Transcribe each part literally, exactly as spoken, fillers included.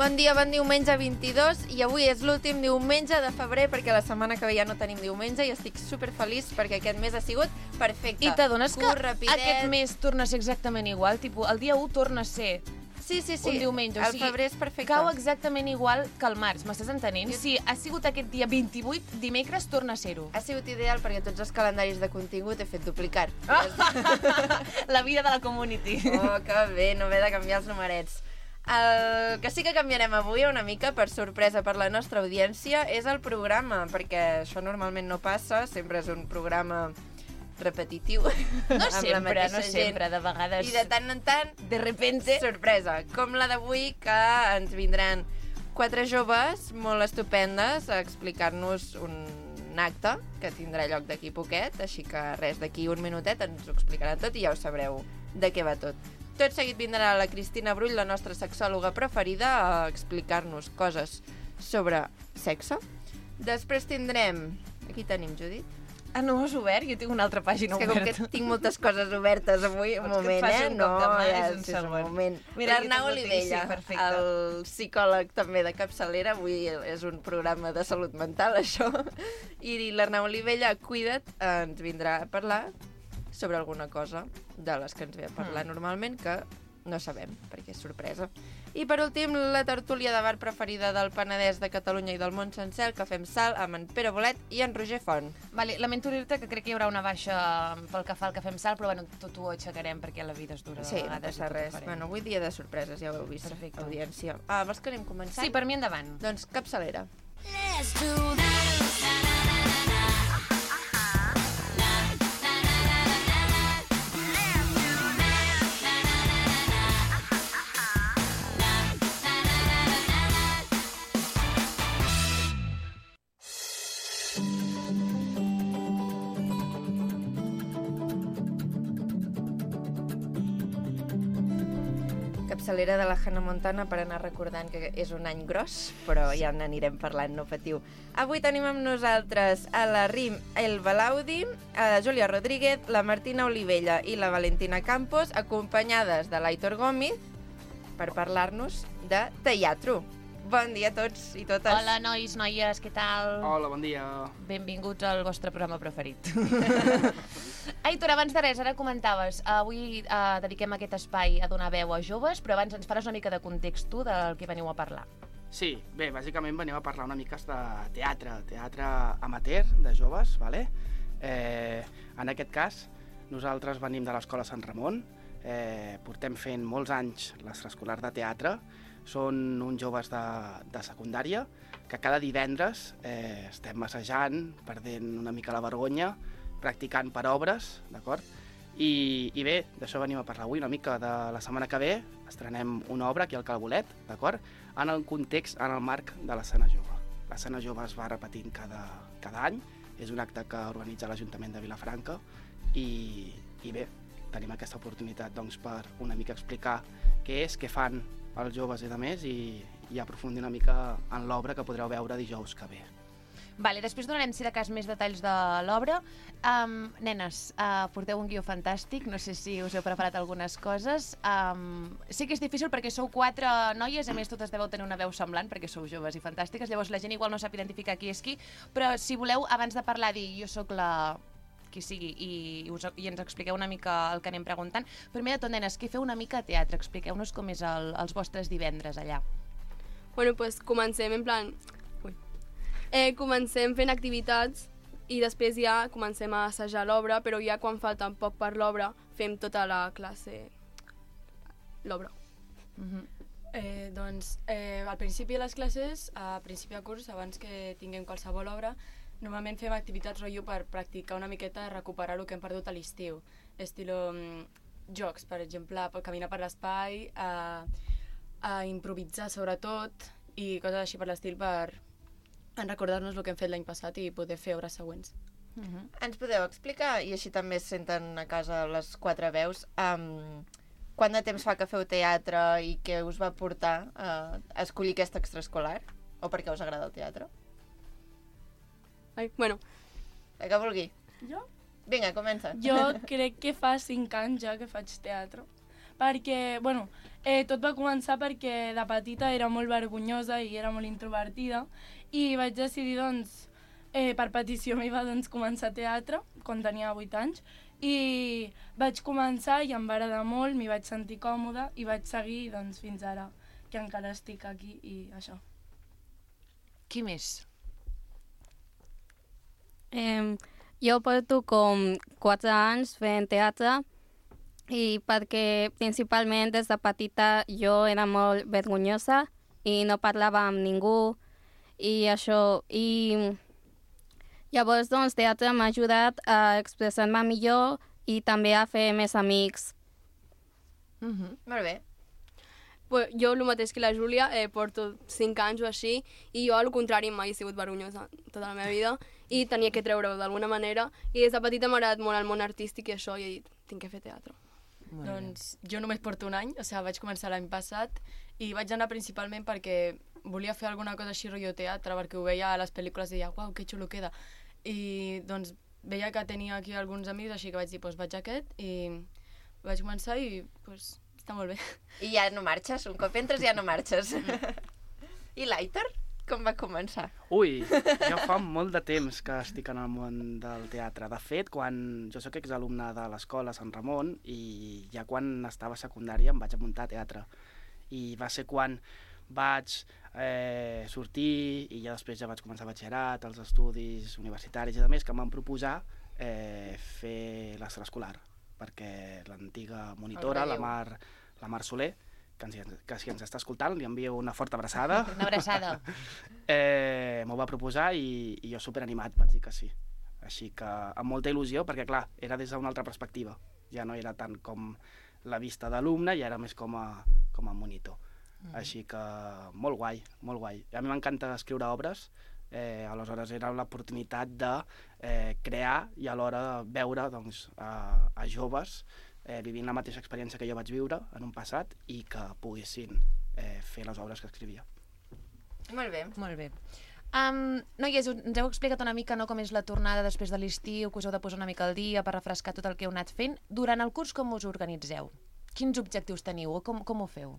Bon dia, bon diumenge vint-i-dos i avui és l'últim diumenge de febrer perquè la setmana que ve ja no tenim diumenge i estic superfeliç perquè aquest mes ha sigut perfecte. I t'adones que rapidet. Aquest mes torna a ser exactament igual? Tipo, el dia u torna a ser sí, sí, sí. un diumenge. El o sigui, febrer és perfecte. Cau exactament igual que el març, m'estàs entenent? Jo... Si ha sigut aquest dia vint-i-vuit, dimecres torna a ser-ho. Ha sigut ideal perquè tots els calendaris de contingut he fet duplicar. Ah! La vida de la community. Oh, que bé, no m'he de canviar els numerets. El que sí que canviarem avui una mica, per sorpresa per la nostra audiència, és el programa, perquè això normalment no passa, sempre és un programa repetitiu. No sempre, no sempre, de vegades... I de tant en tant, de repente... sorpresa, com la d'avui, que ens vindran quatre joves molt estupendes a explicar-nos un acte que tindrà lloc d'aquí poquet, així que res, d'aquí un minutet ens ho explicaran tot i ja ho sabreu de què va tot. Tot seguit vindrà la Cristina Brull, la nostra sexòloga preferida, a explicar-nos coses sobre sexe. Després tindrem... Aquí tenim, Judit. Ah, no has obert? Jo tinc una altra pàgina oberta. És que oberta. com que tinc moltes coses obertes avui, un moment, eh? Un no, ja, és un sí, segon. un moment. Mira, L'Arnau Olivella, sí, el psicòleg també de capçalera, avui és un programa de salut mental, això, i l'Arnau Olivella, cuida't, ens vindrà a parlar sobre alguna cosa de les que ens ve a parlar mm. normalment, que no sabem, perquè és sorpresa. I per últim, la tertúlia de bar preferida del Penedès, de Catalunya i del món sencer, el Cafè amb Sal, amb en Pere Bolet i en Roger Font. Vale, lamento dir-te que crec que hi haurà una baixa pel que fa al Cafè amb Sal, però bueno, tot ho aixecarem perquè la vida és dura. Sí, no passa res. Bueno, avui dia de sorpreses, ja ho heu vist. Perfecte. Audiència. Ah, vols que anem començant? Sí, per mi endavant. Doncs capçalera. Let's do this. Capçalera de la Hannah Montana per anar recordant que és un any gros, però ja n'anirem parlant, no patiu. Avui tenim amb nosaltres a la Rim El Balaudi, a la Júlia Rodríguez, la Martina Olivella i la Valentina Campos, acompanyades de l'Aitor Gómez, per parlar-nos de teatre. Bon dia a tots i totes. Hola, nois, noies, què tal? Hola, bon dia. Benvinguts al vostre programa preferit. Aitor, abans de res, ara comentaves, avui eh, dediquem aquest espai a donar veu a joves, però abans ens faràs una mica de context tu del que veniu a parlar. Sí, bé, bàsicament venim a parlar una mica de teatre, teatre amateur de joves, vale? Eh, en aquest cas, nosaltres venim de l'Escola Sant Ramon, eh, portem fent molts anys l'extraescolar de teatre, són uns joves de, de secundària que cada divendres eh, estem assajant, perdent una mica la vergonya, practicant per obres, d'acord? I, I bé, d'això venim a parlar avui una mica. De la setmana que ve estrenem una obra aquí al Calbolet, d'acord? En el context, en el marc de l'escena jove. L'escena jove es va repetint cada, cada any, és un acte que organitza l'Ajuntament de Vilafranca i, i bé, tenim aquesta oportunitat doncs, per una mica explicar què és, què fan els joves i de més i, i aprofundir una mica en l'obra que podreu veure dijous que ve. Vale, després donarem, si de cas, més detalls de l'obra. Um, nenes, uh, porteu un guió fantàstic, no sé si us heu preparat algunes coses. Um, sé que és difícil perquè sou quatre noies, a més totes deveu tenir una veu semblant perquè sou joves i fantàstiques, llavors la gent igual no sap identificar qui és qui, però si voleu, abans de parlar, dir jo sóc la... qui sigui, i, us, i ens expliqueu una mica el que anem preguntant. Primer de tot, nenes, qui feu una mica de teatre? Expliqueu-nos com és el, els vostres divendres allà. Bueno, pues comencem en plan... Ui. Eh, comencem fent activitats i després ja comencem a assajar l'obra, però ja quan falta poc per l'obra fem tota la classe l'obra. Uh-huh. Eh, doncs, eh, al principi de les classes, a principi de curs, abans que tinguem qualsevol obra, normalment fem activitats rotllo per practicar una miqueta, recuperar el que hem perdut a l'estiu. Estilo mm, jocs, per exemple, per caminar per l'espai, a, a improvisar sobretot i coses així per l'estil per en recordar-nos el que hem fet l'any passat i poder fer obres següents. Uh-huh. Ens podeu explicar, i així també es senten a casa les quatre veus, um, quant de temps fa que feu teatre i què us va portar uh, a escollir aquest extraescolar? O per què us agrada el teatre? Ai, bueno. El que vulgui. Jo? Vinga, comença. Jo crec que fa cinc anys ja que faig teatre, perquè, bueno, Eh, tot va començar perquè de petita era molt vergonyosa i era molt introvertida i vaig decidir, doncs, eh, per petició meva, doncs, començar teatre quan tenia vuit anys i vaig començar i em va agradar molt, m'hi vaig sentir còmoda i vaig seguir, doncs, fins ara, que encara estic aquí i això. Qui més? Eh, jo porto com quatre anys fent teatre i perquè principalment des de petita jo era molt vergonyosa i no parlava amb ningú i això. I llavors, doncs, teatre m'ha ajudat a expressar-me millor i també a fer més amics. Mm-hmm. Molt bé. Pues jo, el mateix que la Júlia, eh, porto cinc anys o així, i jo, al contrari, mai he sigut vergonyosa tota la meva vida, i tenia que treure-ho d'alguna manera, i des de petita m'ha agradat molt el món artístic i això, i he dit, tinc que fer teatre. Molt doncs bé. Jo només porto un any, o sigui, vaig començar l'any passat, i vaig anar principalment perquè volia fer alguna cosa així rotllo teatre, perquè ho veia a les pel·lícules i deia, uau, que xulo queda. I doncs veia que tenia aquí alguns amics, així que vaig dir, doncs vaig a aquest, i vaig començar i doncs està molt bé. I ja no marxes, un cop entres ja no marxes. I l'Aitor, com va començar? Ui, jo fa molt de temps que estic en el món del teatre. De fet, quan jo soc exalumne de l'escola Sant Ramon i ja quan estava a secundària em vaig apuntar a teatre. I va ser quan vaig eh, sortir i ja després ja vaig començar batxillerat, els estudis universitaris i a més que em van proposar eh, fer l'extraescolar, perquè l'antiga monitora, la Mar, la Mar Soler, que, ens, que si ens està escoltant li envio una forta abraçada. Una abraçada. eh, M'ho va proposar i, i jo superanimat vaig dir que sí. Així que amb molta il·lusió, perquè clar, era des d'una altra perspectiva. Ja no era tant com la vista d'alumne, ja era més com a, com a monitor. Mm. Així que molt guai, molt guai. A mi m'encanta escriure obres, eh, aleshores era l'oportunitat de eh, crear i alhora veure doncs, a, a joves eh, vivint la mateixa experiència que jo vaig viure en un passat i que poguessin eh, fer les obres que escrivia. Molt bé. Molt bé. Um, noies, ens heu explicat una mica no, com és la tornada després de l'estiu, que us heu de posar una mica al dia per refrescar tot el que heu anat fent. Durant el curs com us organitzeu? Quins objectius teniu o com, com ho feu?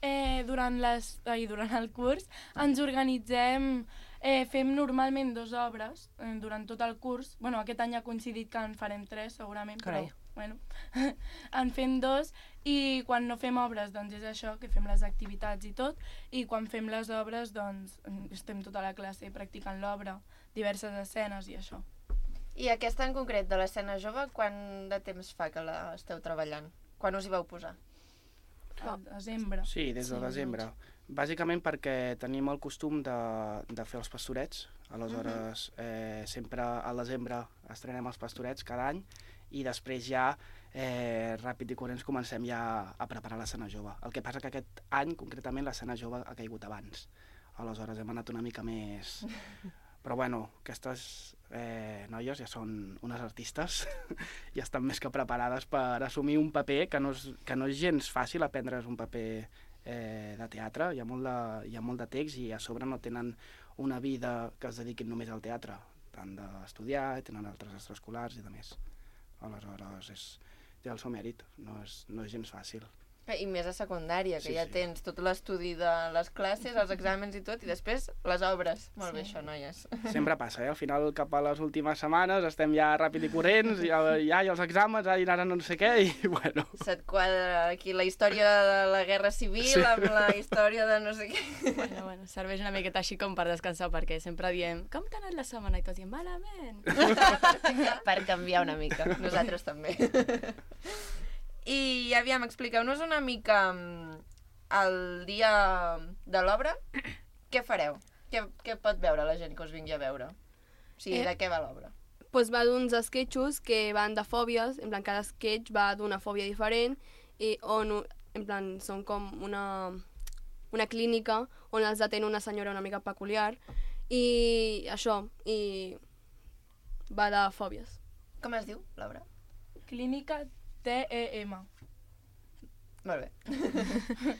Eh, durant, les, ai, durant el curs ens organitzem, eh, fem normalment dues obres eh, durant tot el curs. Bueno, aquest any ha coincidit que en farem tres, segurament, Carai. però bueno, en fem dos i quan no fem obres doncs és això, que fem les activitats i tot, i quan fem les obres doncs estem tota la classe practicant l'obra, diverses escenes i això. I aquesta en concret de l'escena jove, quant de temps fa que la esteu treballant? Quan us hi vau posar? Al desembre. Sí, des de Sí, desembre. Bàsicament perquè tenim el costum de, de fer els pastorets. Aleshores, uh -huh. eh, sempre al desembre estrenem els pastorets cada any i després ja, eh, ràpid i corrents, comencem ja a preparar l'escena jove. El que passa que aquest any, concretament, l'escena jove ha caigut abans. Aleshores hem anat una mica més... Però bueno, aquestes eh, noies ja són unes artistes i estan més que preparades per assumir un paper que no és, que no és gens fàcil aprendre's un paper eh, de teatre. Hi ha, molt de, hi ha molt de text i a sobre no tenen una vida que es dediquin només al teatre. Han d'estudiar, tenen altres extraescolars i de més. Aleshores, és, té el seu mèrit, no és, no és gens fàcil. I més a secundària, que Sí, ja sí. tens tot l'estudi de les classes, els exàmens i tot, i després les obres. Molt Sí. bé, això, noies. Sempre passa, eh? Al final, cap a les últimes setmanes, estem ja ràpid i corrents, ja, ja hi ha els exàmens, ai, ara no sé què, i bueno... Se't quadra aquí la història de la Guerra Civil sí. amb la història de no sé què. Bueno, bueno, serveix una miqueta així com per descansar, perquè sempre diem, com t'ha anat la setmana? I tots diem, malament. Per canviar una mica. Nosaltres també. I aviam, expliqueu-nos una mica mm, el dia de l'obra. Què fareu? Què, què pot veure la gent que us vingui a veure? O sigui, Eh. de què va l'obra? Pues va d'uns sketchos que van de fòbies, en plan, cada sketch va d'una fòbia diferent, i on, en plan, són com una, una clínica on els atén una senyora una mica peculiar, i això, i va de fòbies. Com es diu, l'obra? Clínica T E M. Molt bé.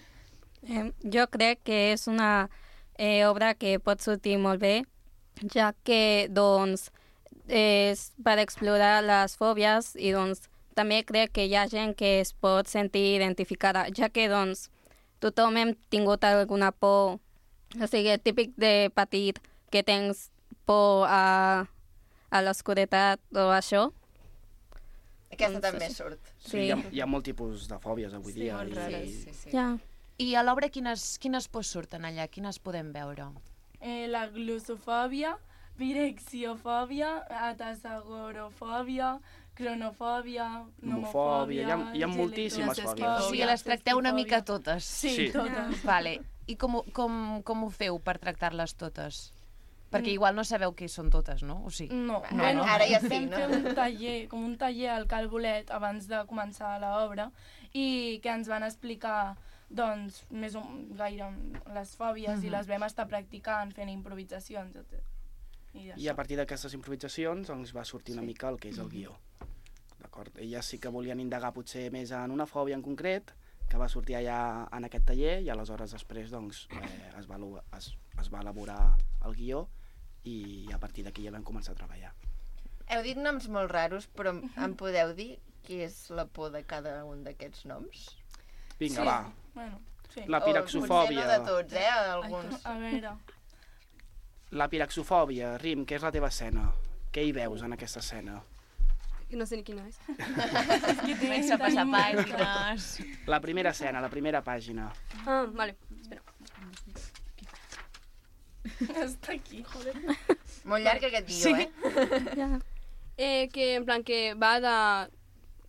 Eh, jo crec que és una eh, obra que pot sortir molt bé, ja que doncs, és per explorar les fòbies i doncs, també crec que hi ha gent que es pot sentir identificada, ja que doncs, tothom hem tingut alguna por. O sigui, típic de petit que tens por a, a l'oscuretat o això. Aquesta Doncs també sí. surt. Sí, Sí. hi, ha, hi ha molt tipus de fòbies avui Sí, dia. molt i- rares. Sí, sí. Ja. I a l'obra quines, quines pors surten allà? Quines podem veure? Eh, la glossofòbia, virexiofòbia, atasagorofòbia, cronofòbia, Nomofòbia, hi ha- hi ha nomofòbia, moltíssimes geletoskifòbia, fòbies. O sigui, les tracteu una mica totes. Sí, Sí. totes. Vale. I com, ho- com, com ho feu per tractar-les totes? Perquè Mm. igual no sabeu què són totes, no? O sigui, No, No, bueno, ara ja sí, vam no? fer un taller, com un taller al Calbolet abans de començar l'obra i que ens van explicar doncs, més o gaire les fòbies i les vam estar practicant, fent improvisacions, etcètera. I, I a partir d'aquestes improvisacions doncs, va sortir una mica el que és el guió. D'acord? Elles sí que volien indagar potser més en una fòbia en concret, que va sortir allà en aquest taller, i aleshores després doncs, eh, es, va, elu- es, es va elaborar el guió i a partir d'aquí ja vam començar a treballar. Heu dit noms molt raros, però em podeu dir què és la por de cada un d'aquests noms? Vinga, Sí. va. Bueno, sí. La O potser piraxofòbia. no de tots, eh? Ai, Alguns. a veure, La piraxofòbia, Rim, què és la teva escena? Què hi veus en aquesta escena? No sé ni quina és. comença a passar pàgines... La primera escena, la primera pàgina. Ah, vale. Espera. està aquí, joder. Molt llarg aquest guió, Sí. eh? Ja. Eh, que en plan que va de...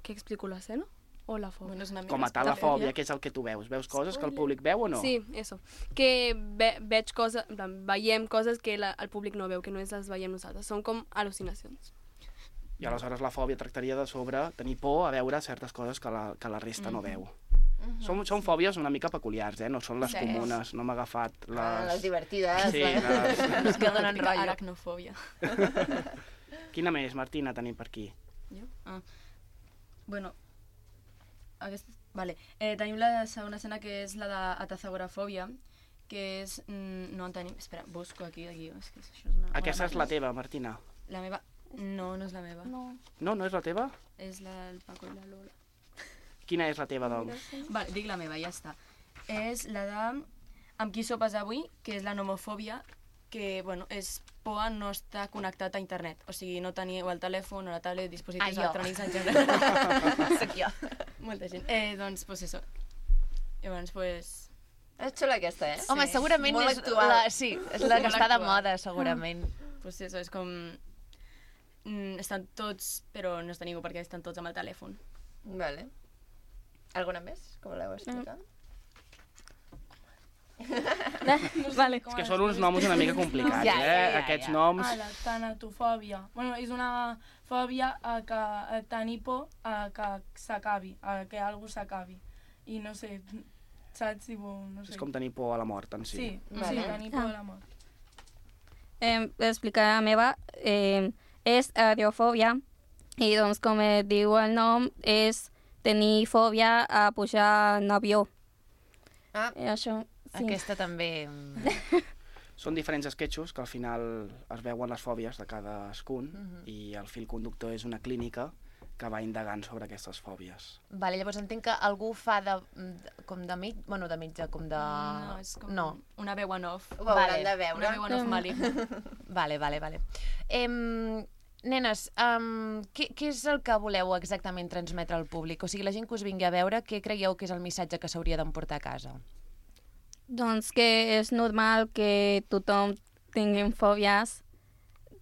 Què explico l'escena? O la fòbia? Bueno, és una mica Com a tal, la spoiler. fòbia, què és el que tu veus? Veus coses que el públic veu o no? Sí, eso. Que ve, veig coses, en plan, veiem coses que la, el públic no veu, que no les veiem nosaltres. Són com al·lucinacions. I aleshores la fòbia tractaria de sobre tenir por a veure certes coses que la, que la resta no veu. Són, són fòbies una mica peculiars, eh? No són les Sí. comunes, no m'ha agafat les... Ah, les divertides. Sí, les- les... Les que donen rotllo. Aracnofòbia. Quina més, Martina, tenim per aquí? Jo? Ah. Bueno, aquesta... Vale. Eh, tenim la segona escena, que és la d'atazagorafòbia, que és... Mm, no en tenim... Espera, busco aquí el guió. És que això és una... Aquesta una és la màquina. teva, Martina. La meva... No, no és la meva. No. No, no és la teva? És la del Paco i la Lola. Quina és la teva, doncs? Vale, dic la meva, ja està. És la de amb qui sopes avui, que és la nomofòbia, que, bueno, és por a no estar connectat a internet. O sigui, no tenir o el telèfon o la tablet, dispositius Ah, jo. electrònics en general. Soc jo. Molta gent. Eh, doncs, pues eso. Llavors, pues... És xula aquesta, eh? Home, segurament Molt és actual. la, sí, és la que Molt està de actual. moda, segurament. Pues eso, és com... Mm, estan tots, però no està ningú perquè estan tots amb el telèfon. Vale. Alguna més que voleu explicar? Vale. És que són uns noms una mica complicats, Ja, eh? ja, ja, Aquests ja. noms... Ah, la tanatofòbia. Bueno, és una fòbia a que a tenir por a que s'acabi, a que algú s'acabi. I no sé, saps si vol, no sé. És com tenir por a la mort en si. Sí, Vale. sí, tenir por Ah. a la mort. Eh, explicar la meva eh, és aerofòbia i doncs com eh, diu el nom és tenir fòbia a pujar en avió. Ah, I això, sí. Aquesta també... mm, Són diferents esquetxos que al final es veuen les fòbies de cadascun i el fil conductor és una clínica que va indagant sobre aquestes fòbies. Vale, llavors entenc que algú fa de, de com de mig, bueno, de mitja, com de... No, és com No. una veu en off. ho hauran Vale. de veure. Una veu en off maligna. Vale, vale, vale. Em, nenes, um, què, què és el que voleu exactament transmetre al públic? O sigui, la gent que us vingui a veure, què creieu que és el missatge que s'hauria d'emportar a casa? Doncs que és normal que tothom tingui fòbies,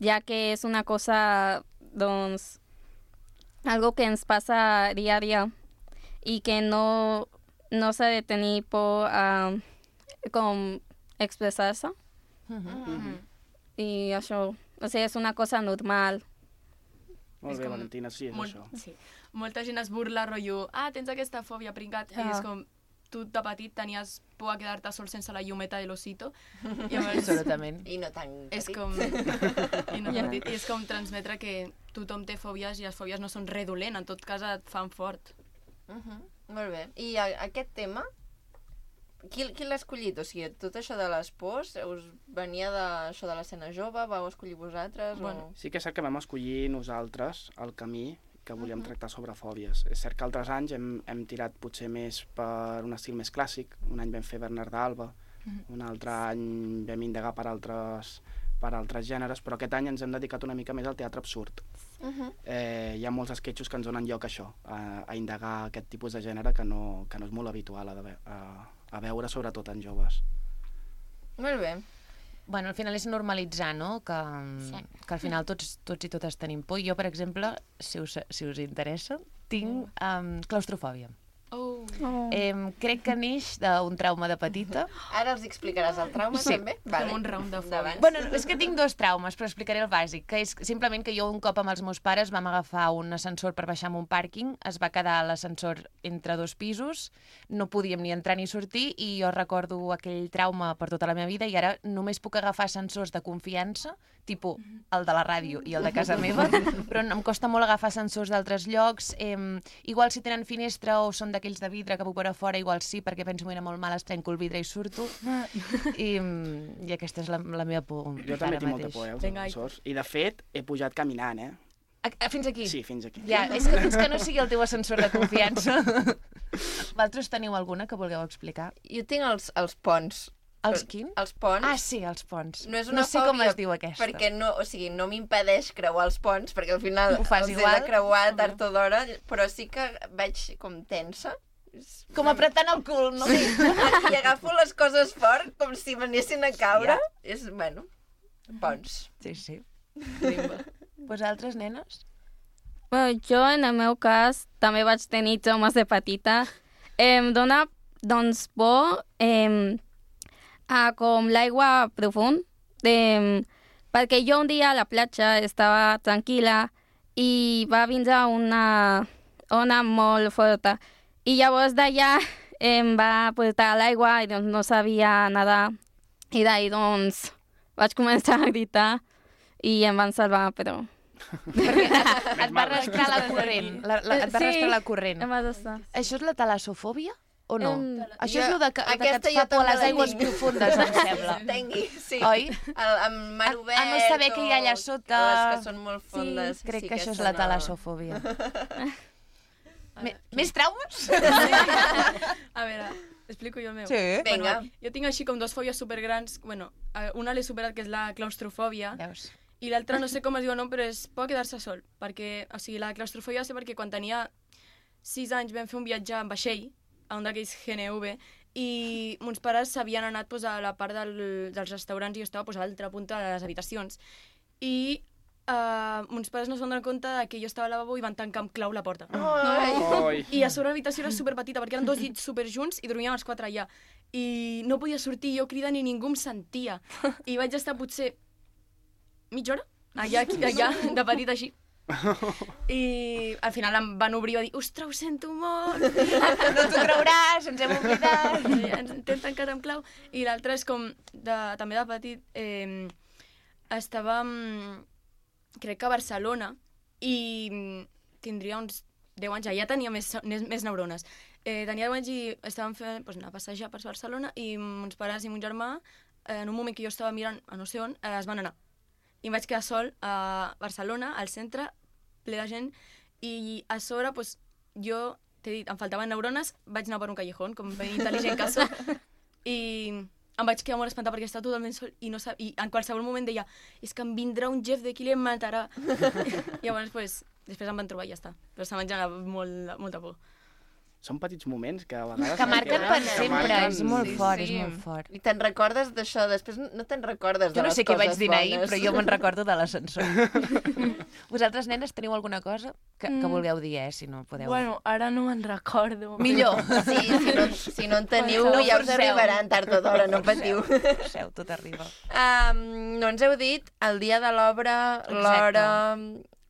ja que és una cosa, doncs, algo que ens passa dia a dia i que no, no s'ha de tenir por a com expressar-se. I això, o sigui, és una cosa normal. Molt És bé, com Valentina, sí, és Molt, això. sí. Molta gent es burla, rotllo, ah, tens aquesta fòbia, pringat, i Ah. és com, tu de petit tenies por a quedar-te sol sense la llumeta de l'osito, i llavors Absolutament. I no tan és petit. com, i, no Ja. petit, i és com transmetre que tothom té fòbies i les fòbies no són res dolent, en tot cas et fan fort. Uh -huh. Molt bé. I a, aquest tema, qui, qui l'ha escollit? O sigui, tot això de les pors, us venia d'això de l'escena jove? Vau escollir vosaltres? Bueno, o... Sí que és cert que vam escollir nosaltres el camí que volíem tractar sobre fòbies. És cert que altres anys hem, hem tirat potser més per un estil més clàssic. Un any vam fer Bernard d'Alba, un altre any vam indagar per altres, per altres gèneres, però aquest any ens hem dedicat una mica més al teatre absurd. Uh -huh. eh, hi ha molts esquetxos que ens donen lloc a això, a, a indagar aquest tipus de gènere que no, que no és molt habitual a, de, a, a veure, sobretot en joves. Molt bé. Bueno, al final és normalitzar, no? Que, sí. que al final tots, tots i totes tenim por. Jo, per exemple, si us, si us interessa, tinc um, claustrofòbia. Oh. Oh. Eh, crec que neix d'un trauma de petita. Ara els explicaràs el trauma, Sí. també? Vale. Fem un round de Endavant. fòbies. Bueno, és que tinc dos traumes, però explicaré el bàsic, que és simplement que jo un cop amb els meus pares vam agafar un ascensor per baixar a un pàrquing, es va quedar l'ascensor entre dos pisos, no podíem ni entrar ni sortir, i jo recordo aquell trauma per tota la meva vida, i ara només puc agafar ascensors de confiança, tipus el de la ràdio i el de casa meva, però em costa molt agafar ascensors d'altres llocs. Eh, igual si tenen finestra o són d'aquells de vidre que puc veure fora, igual sí, perquè penso que m'era molt mal, es trenco el vidre i surto. I, i aquesta és la, la meva por. Jo també tinc molta por, eh, als Vinga, ascensors. I, de fet, he pujat caminant, eh? A, a, fins aquí? Sí, fins aquí. Ja, és que fins que no sigui el teu ascensor de confiança. Vosaltres teniu alguna que vulgueu explicar? Jo tinc els, els ponts. Els quin? Els ponts. Ah, sí, els ponts. No és una no sé fòbia, com es diu aquesta. Perquè no, o sigui, no m'impedeix creuar els ponts, perquè al final Ho fas els igual? he de creuar tard o d'hora, però sí que vaig com tensa. Com apretant el cul, no? Sí, i agafo les coses fort com si m'anessin a caure. Ja. És, bueno, ponts. Sí, sí. Vosaltres, nenes? Bueno, jo, en el meu cas, també vaig tenir traumes de petita. Em dona, doncs, por em, a com l'aigua profund. Em, perquè jo un dia a la platja estava tranquil·la i va vindre una ona molt forta. I llavors d'allà em va portar a l'aigua i doncs no sabia nedar. I d'ahir doncs vaig començar a gritar i em van salvar, però... Perquè et, et va arrastrar la corrent. La, la, et va arrastrar la corrent. em va arrastrar. Això és la talassofòbia o no? Em, Això és jo- el de que, de que aquesta et jo fa por a també les la aigües tinc. profundes, em sembla. Tengui, sí. Oi? El, amb mar A- obert a no saber què hi ha allà o sota. Les que són molt fondes. Crec sí, que això és aquesta la no. talassofòbia. Me, més traumes? A veure, explico jo el meu. Sí. Vinga. Bueno, jo tinc així com dos fòbies supergrans. Bueno, eh, una l'he superat, que és la claustrofòbia, Veus? i l'altra no sé com es diu el nom, però és por a quedar-se sol. Perquè, o sigui, la claustrofòbia va ser perquè quan tenia sis anys vam fer un viatge en vaixell, a un d'aquells G N V, i mons pares s'havien anat pues, a la part del, dels restaurants i jo estava pues, a l'altra punta de les habitacions. I uh, mons pares no es van donar compte de que jo estava al lavabo i van tancar amb clau la porta. Ai. Oi. I a sobre l'habitació era superpetita, perquè eren dos llits superjunts i dormíem els quatre allà. I no podia sortir, jo cridant i ningú em sentia. I vaig estar potser mitja hora allà, aquí, allà de petit així. I al final em van obrir i va dir ostres, ho sento molt. No t'ho creuràs, ens hem oblidat. I ens t'hem tancat amb clau. I l'altre és com, de, també de petit, eh, estàvem, crec que a Barcelona, i tindria uns deu anys, ja tenia més, més, més neurones. Eh, tenia deu anys i estàvem fent, doncs, anar a passejar per Barcelona i mons pares i mon germà, eh, en un moment que jo estava mirant a no sé on, eh, es van anar. I em vaig quedar sol a Barcelona, al centre, ple de gent, i a sobre, doncs, jo, t'he dit, em faltaven neurones, vaig anar per un callejón, com ben intel·ligent que soc, i em vaig quedar molt espantada perquè estava totalment sol i, no sab... i en qualsevol moment deia és que em vindrà un Jeff d'aquí i em matarà. I llavors, pues, després em van trobar i ja està. Però se m'ha generat molt, molta por. Són petits moments que a vegades... Que marquen per que sempre, marquen- és molt Sí, fort, sí. és molt fort. I te'n recordes d'això? Després no te'n recordes de Jo no les sé què vaig coses dir ahir, bones. però jo me'n recordo de l'ascensor. Vosaltres, nenes, teniu alguna cosa que, que vulgueu dir, eh, si no podeu... Bueno, ara no me'n recordo. Millor. Sí, si no, si no en teniu, No ja us forceu. arribaran tard o d'hora, no patiu. Seu, tot arriba. Um, no ens heu dit el dia de l'obra, l'hora...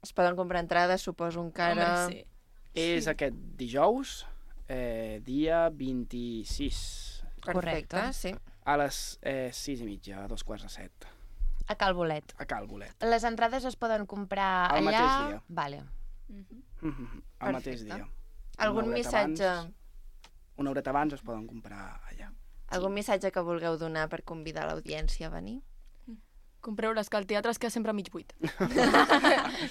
Es poden comprar entrades, suposo, encara... Hombre, sí. És aquest dijous, eh, dia vint-i-sis, Perfecte, Correcte. sí. a les eh, sis i mitja, a dos quarts de set, A Cal Bolet. a Cal Bolet. Les entrades es poden comprar El allà... mateix dia. Vale. El mateix Perfecte. dia. Algun Una horeta missatge, abans- Una horeta abans es poden comprar allà. algun missatge que vulgueu donar per convidar l'audiència a venir? compreu-les, que el teatre es queda sempre mig buit.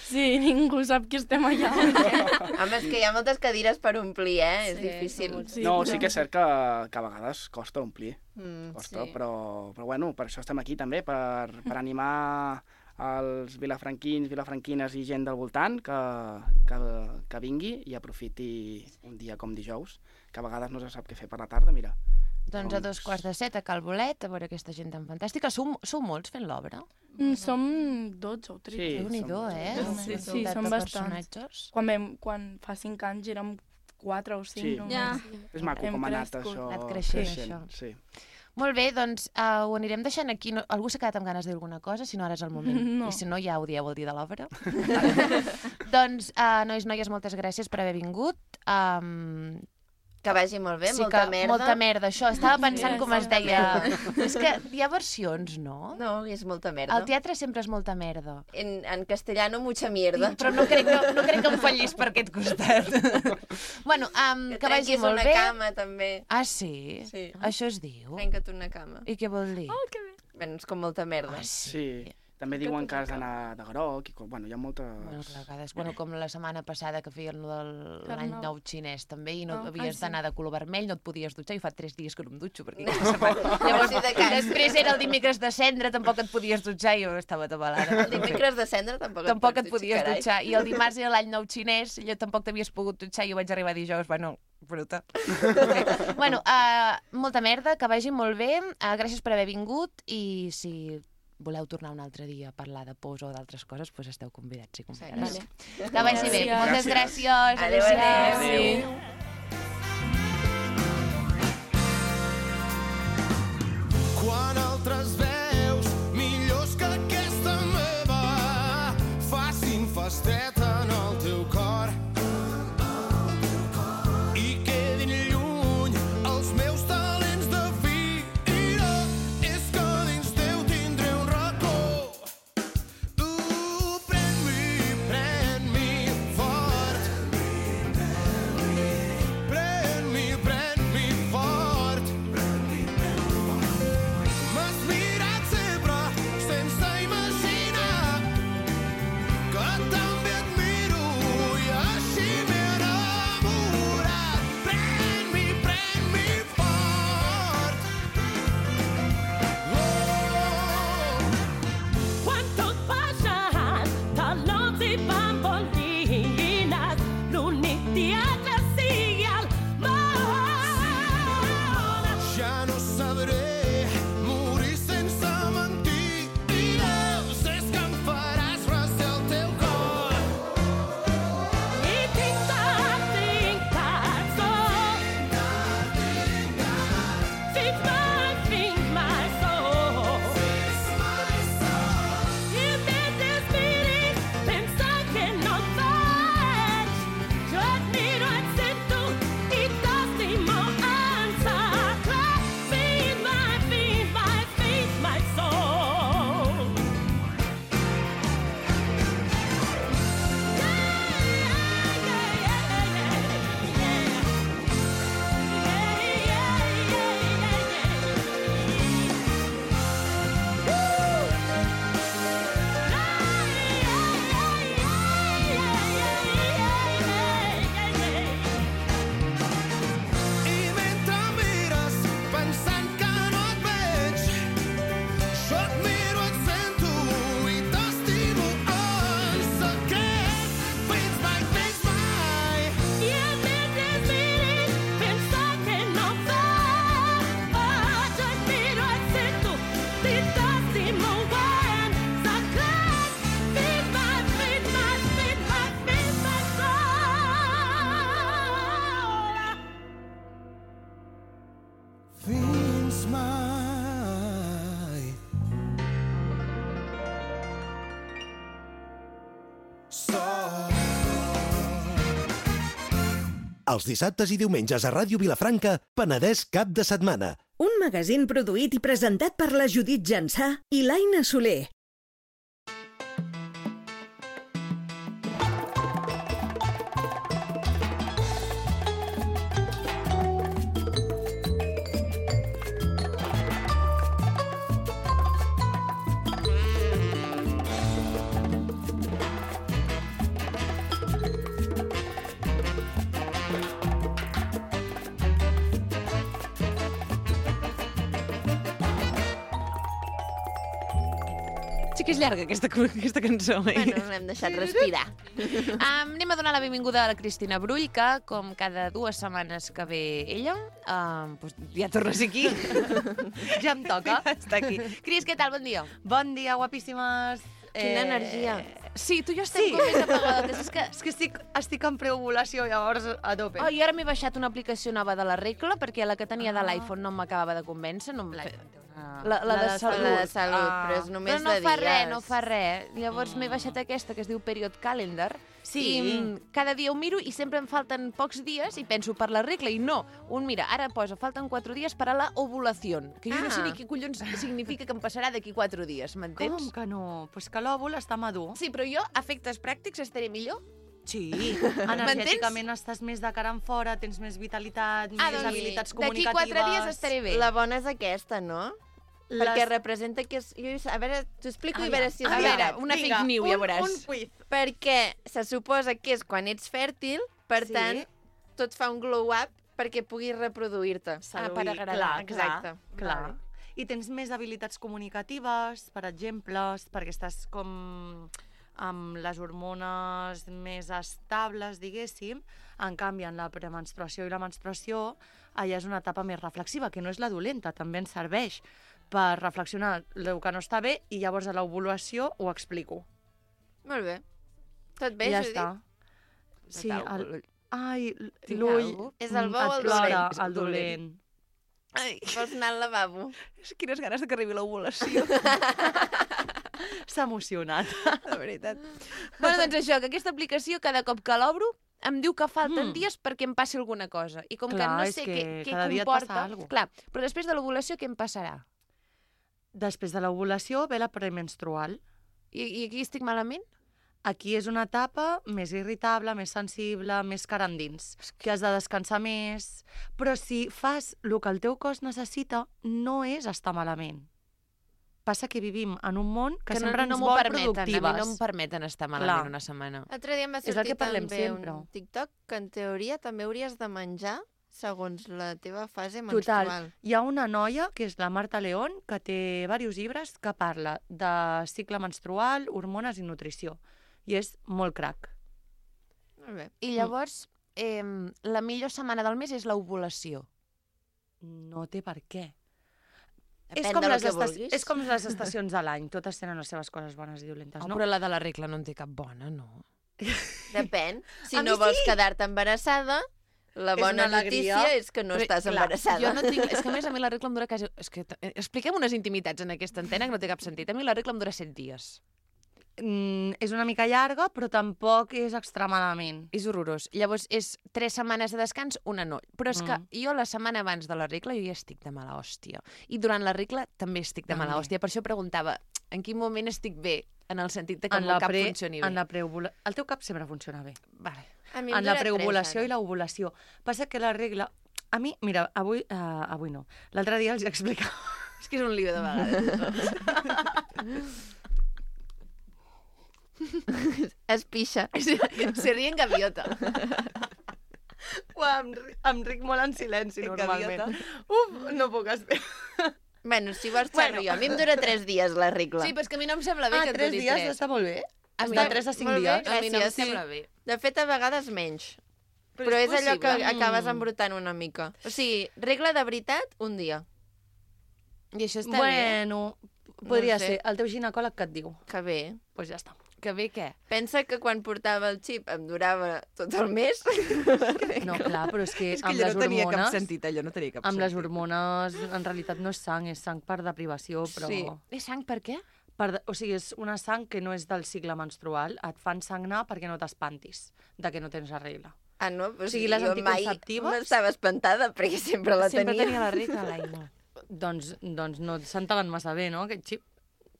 Sí, ningú sap que estem allà. Home, és que hi ha moltes cadires per omplir, eh? És Sí, difícil. són molts. Sí, No, però- sí que és cert que, que a vegades costa omplir, Mm, costa, sí. però, però bueno, per això estem aquí també, per, per animar els vilafranquins, vilafranquines i gent del voltant que, que, que vingui i aprofiti un dia com dijous, que a vegades no se sap què fer per la tarda, mira. Doncs a dos quarts de set a Cal Bolet, a veure aquesta gent tan fantàstica. Sou, sou molts fent l'obra? Mm, Som dotze o tretze. Sí, Déu-n'hi-do, som- eh? som- Una sí, sí, quantitat som de bastants. personatges. Quan, vam, quan fa cinc anys érem quatre o cinc. Sí. només. Ja. És maco Hem com ha anat crescut. això. Ha anat creixent, això. Sí. Molt bé, doncs uh, ho anirem deixant aquí. No, algú s'ha quedat amb ganes de dir alguna cosa? Si no, ara és el moment. No. I si no, ja ho dieu el dia de l'obra. Doncs, uh, nois, noies, moltes gràcies per haver vingut. Um, Que vagi molt bé, sí molta que, merda. Molta merda, això. Estava pensant Sí, com es molta deia... És que hi ha versions, no? No, és molta merda. El teatre sempre és molta merda. En, en castellano, mucha mierda. Però no crec que, no crec que em fallis per aquest costat. Bueno, um, Que que vagi trenquis molt una bé. cama, també. Ah, sí? Sí. Això es diu? Trenca't una cama. I què vol dir? Oh, que bé. Bueno, és com molta merda. Ah, Sí. També diuen que has d'anar de groc, i, co- bueno, hi ha moltes... Bueno, clar, a vegades, bueno, com la setmana passada que feien lo de l'any Carnaval. nou xinès també, i no Ah, havies ah, sí. d'anar de color vermell, no et podies dutxar, i fa tres dies que no em dutxo, perquè aquesta setmana... Llavors, de cas. Després era el dimecres de cendre, tampoc et podies dutxar, i jo estava tabalada. El dimecres de cendre tampoc, Tampoc et pots podies carai. dutxar, i el dimarts era l'any nou xinès, i jo tampoc t'havies pogut dutxar, i jo vaig arribar dijous, bueno, bruta. Okay. Bueno, uh, molta merda, que vagi molt bé, uh, gràcies per haver vingut, i si voleu tornar un altre dia a parlar de pors o d'altres coses, doncs esteu convidats i convidades. Vale. Que vagi bé. Gràcies. Moltes gràcies. Adéu, Adéu-siau. adéu. Quan altres veus millors que aquesta meva facin festeta en el teu cor i quedin lluny els meus talents de vida, és que dins teu tindré un racó. Uh, pren-m'hi, pren-m'hi fort. Pren-m'hi, pren-m'hi fort. M'has mirat sempre sense imaginar que també et miro i així m'he enamorat. Pren-m'hi, pren-m'hi fort. Oh. Quan tot passat, talons i bambolines, l'únic teatre sigui el món. Ja no sabré morir sense mentides, és que em faràs recer el teu cor. I tinc tant, tinc tant sol. Fins mai, fins mai sol. I mentre miris, pensa que no et veig. Jo et miro, et sento i t'estimo en secret. Fins mai, fins mai, fins mai sol. I mentre mires pensant que no et veig, jo et miro, et sento i t'estimo en secret. Fins mai, fins mai. I mentre miris, pensa que no et veig. Jo et miro, et sento i t'estimo en secret. Fins mai, fins mai, fins mai, fins mai sol. Fins mai. Sol. Els dissabtes i diumenges a Ràdio Vilafranca, Penedès cap de setmana. Un magazín produït i presentat per la Judit Jansà i l'Aina Soler. que és llarga, aquesta, aquesta cançó. Eh? Bueno, l'hem deixat respirar. Um, anem a donar la benvinguda a la Cristina Brull, que, com cada dues setmanes que ve ella, um, doncs ja torna a ser aquí. Ja em toca. Està aquí. Cris, què tal? Bon dia. Bon dia, guapíssimes. Quina energia. Sí, tu i jo estem Sí. com més apagadotes. És que... És que estic, estic en preovulació, llavors a tope. Oh, i ara m'he baixat una aplicació nova de la regla, perquè la que tenia de l'iPhone no m'acabava de convèncer. No em... La, la, de salut. La de salut, Ah. però és només però no de fa dies. res, no fa res. Llavors m'he baixat aquesta que es diu Period Calendar. Sí. I mm, cada dia ho miro i sempre em falten pocs dies i penso per la regla i no. Un mira, ara posa, falten quatre dies per a la ovulació, que jo no sé Ah. ni què collons significa que em passarà d'aquí quatre dies, m'entens? Com que no? Pues que l'òvul està madur. Sí, però jo, a efectes pràctics, estaré millor. Sí, energèticament estàs més de cara en fora, tens més vitalitat, Ah, més doncs, habilitats d'aquí comunicatives... quatre dies estaré bé. La bona és aquesta, no? Les- Perquè representa que és... Jo, a veure, t'ho explico i a veure si és a veure, veritat. una fake news, ja veuràs. Un quiz. Perquè se suposa que és quan ets fèrtil, per Sí. tant, tot fa un glow-up perquè puguis reproduir-te. Ah, per agradar, clar, exacte. Clar, clar. I tens més habilitats comunicatives, per exemple, perquè estàs com amb les hormones més estables, diguéssim. En canvi, en la premenstruació i la menstruació, allà és una etapa més reflexiva, que no és la dolenta, també ens serveix per reflexionar el que no està bé i llavors a l'ovulació ho explico. Molt bé. Tot bé, I ja Judit? està. Sí, el... Ai, Tinc l'ull... alguna És el bo o el et plora, dolent? el dolent. Ai, Vols anar al lavabo? quines ganes de que arribi l'ovulació. S'ha emocionat. De veritat. Bueno, doncs això, que aquesta aplicació, cada cop que l'obro, em diu que falten Mm. dies perquè em passi alguna cosa. I com Clar, que no és sé que què, què cada dia et comporta... passa alguna cosa. Clar, però després de l'ovulació què em passarà? Després de l'ovulació ve la premenstrual. I, I aquí estic malament? Aquí és una etapa més irritable, més sensible, més cara endins, que has de descansar més. Però si fas el que el teu cos necessita, no és estar malament. Passa que vivim en un món que, Que no, sempre no ens m'ho vol permeten, productives. a mi no em permeten estar malament Clar. una setmana. L'altre dia em va És el sortir que parlem també sempre. un TikTok que en teoria també hauries de menjar segons la teva fase Total. menstrual. Hi ha una noia, que és la Marta León, que té diversos llibres que parla de cicle menstrual, hormones i nutrició. I és molt crac. Molt bé. I llavors, eh, la millor setmana del mes és l'ovulació. No té per què. Depèn És com, del les que esta- vulguis. és com les estacions de l'any, totes tenen les seves coses bones i dolentes, Oh, no? però la de la regla no en té cap bona, no? Depèn. Si A mi no vols sí. quedar-te embarassada, la És bona una alegria. notícia és que no Però, estàs clar, embarassada. Jo no tinc... És que a més a mi la regla em dura quasi... És que, eh, expliquem unes intimitats en aquesta antena que no té cap sentit. A mi la regla em dura set dies. Mm, és una mica llarga, però tampoc és extremadament. És horrorós. Llavors, és tres setmanes de descans, una no. Però és que Mm. jo la setmana abans de la regla jo ja estic de mala hòstia. I durant la regla també estic de mala També. hòstia. Per això preguntava, en quin moment estic bé? En el sentit de que En el la meu cap pre- funcioni bé. En la preovula... El teu cap sempre funciona bé. Vale. A mi em En la dura tres, preovulació ara. i l'ovulació. Passa que la regla... A mi, mira, avui, uh, avui no. L'altre dia els explicava... És que és un lío de vegades. Es pixa. Se ríe en gaviota. Uau, em, ri- em ric molt en silenci, En normalment. gaviota. Uf, no puc esperar. Bueno, si vols Bueno. xerro jo. A mi em dura tres dies la regla. Sí, però és que a mi no em sembla bé Ah, que et tres duri dies tres. està molt bé. A mi Està no- tres a cinc molt bé. dies. A mi no em Gràcies, sí. sembla bé. De fet, a vegades menys. Però Però, és és, allò que possible. acabes Mm. embrutant una mica. O sigui, regla de veritat, un dia. I això està bé. Bueno, podria No sé. ser. El teu ginecòleg que et diu? Que bé. Doncs pues ja està. Que bé què? Pensa que quan portava el xip em durava tot el mes. No, clar, però és que, És que amb allò les no tenia cap hormones... sentit, allò no tenia cap Amb les sentit. hormones, en realitat no és sang, és sang per deprivació, però... Sí. És sang per què? Per, de- o sigui, és una sang que no és del cicle menstrual. Et fan sagnar perquè no t'espantis de que no tens la regla. Ah, no? Però O sigui, les jo mai anticonceptives- m'estava espantada perquè sempre la Sempre tenia. tenia la regla, l'Aina. Doncs, doncs no et sentaven massa bé, no, aquest xip?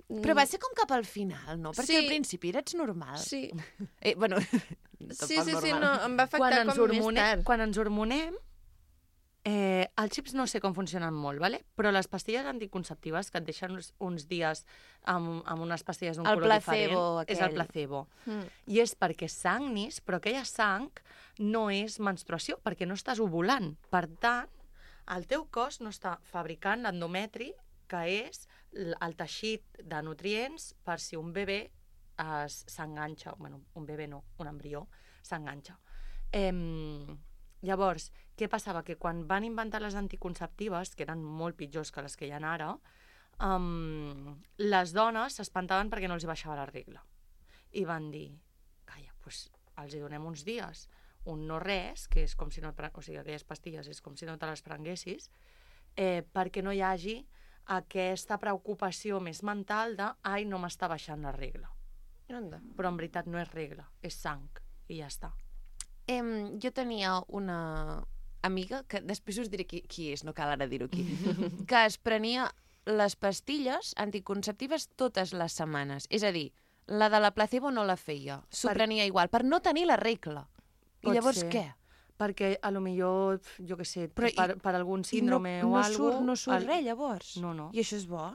Però va ser com cap al final, no? Perquè Sí. al principi eres normal. Sí, Eh, bueno, sí, sí, sí, no, em va afectar Quan ens, com més hormonem, tard. quan ens hormonem, eh, els xips no sé com funcionen molt, vale? Però les pastilles anticonceptives que et deixen uns, uns dies amb, amb unes pastilles d'un El color placebo diferent, és el aquell. placebo. Mm. I és perquè sagnis, però aquella sang no és menstruació, perquè no estàs ovulant. Per tant, el teu cos no està fabricant l'endometri, que és l- el teixit de nutrients per si un bebè es- s'enganxa, bueno, un bebè no, un embrió, s'enganxa. Em, llavors, què passava? Que quan van inventar les anticonceptives, que eren molt pitjors que les que hi ha ara, um, les dones s'espantaven perquè no els hi baixava la regla. I van dir, calla, doncs els hi donem uns dies, un no res, que és com si no, et pre- o sigui, aquelles pastilles és com si no te les prenguessis, eh, perquè no hi hagi aquesta preocupació més mental de ai, no m'està baixant la regla. Anda. Però en veritat no és regla, és sang, i ja està. Em, jo tenia una amiga, que després us diré qui, qui és, no cal ara dir-ho aquí, que es prenia les pastilles anticonceptives totes les setmanes. És a dir, la de la placebo no la feia, s'ho Per- prenia igual, per no tenir la regla. I Pot llavors ser. què? Perquè a lo millor, jo què sé, Però i- per, per algun I síndrome no, o no algo... surt, no surt el- res, llavors. No, no. I això és bo?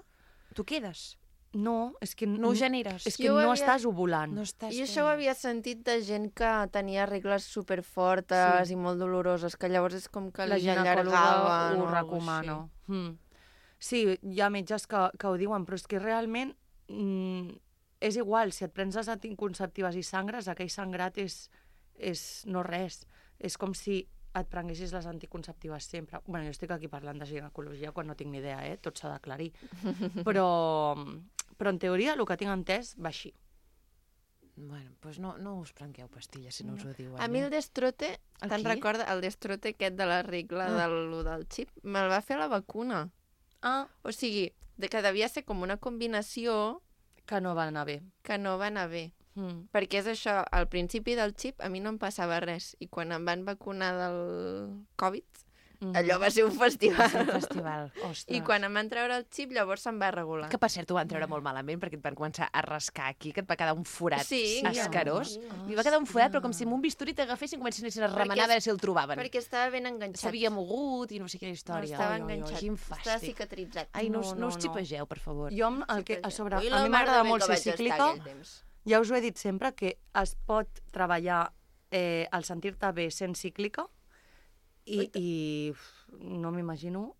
Tu quedes? No, és que... No ho generes? És que Jo ho no havia- estàs ovulant. No estàs I això ho havia sentit de gent que tenia regles superfortes Sí. i molt doloroses, que llavors és com que La li ginecòloga allargaven ho o algo recomana. així. Mm. Sí, hi ha metges que, que ho diuen, però és que realment mm, és igual, si et prens les anticonceptives i sangres, aquell sangrat és, és no res. És com si et prenguessis les anticonceptives sempre. Bueno, jo estic aquí parlant de ginecologia quan no tinc ni idea, eh? Tot s'ha d'aclarir. Però, però en teoria el que tinc entès va així. Bueno, doncs no, no us prengueu pastilles si no us ho diuen. A mi el destrote, El te'n qui? recorda? El destrote aquest de la regla Ah. del, lo del xip, me'l va fer la vacuna. Ah, O sigui, de que devia ser com una combinació que no va anar bé. que no va anar bé. Mm. Perquè és això, al principi del xip a mi no em passava res. I quan em van vacunar del Covid, Mhm. allò va ser un festival. És un festival. Ostres. I quan em van treure el xip, llavors se'm va regular. Que per cert, ho van treure molt malament perquè et van començar a rascar aquí, que et va quedar un forat Sí, escarós. ja. I va quedar un forat, però com si amb un bisturí t'agafessin i comencessin a remenar a veure si el trobaven. Perquè estava ben enganxat. S'havia mogut i no sé quina història. Estava Ai, ai, ai, enganxat. Quin Estava fàstic. cicatritzat. Ai, no, No, us- no, no, us no. xipegeu, per favor. Jo, amb el que, a sobre, Ui, a la mi mar de m'agrada bé molt que ser vaig estar cíclica. aquell temps. Ja us ho he dit sempre, que es pot treballar eh, el sentir-te bé sent cíclica i, i uf, no m'imagino...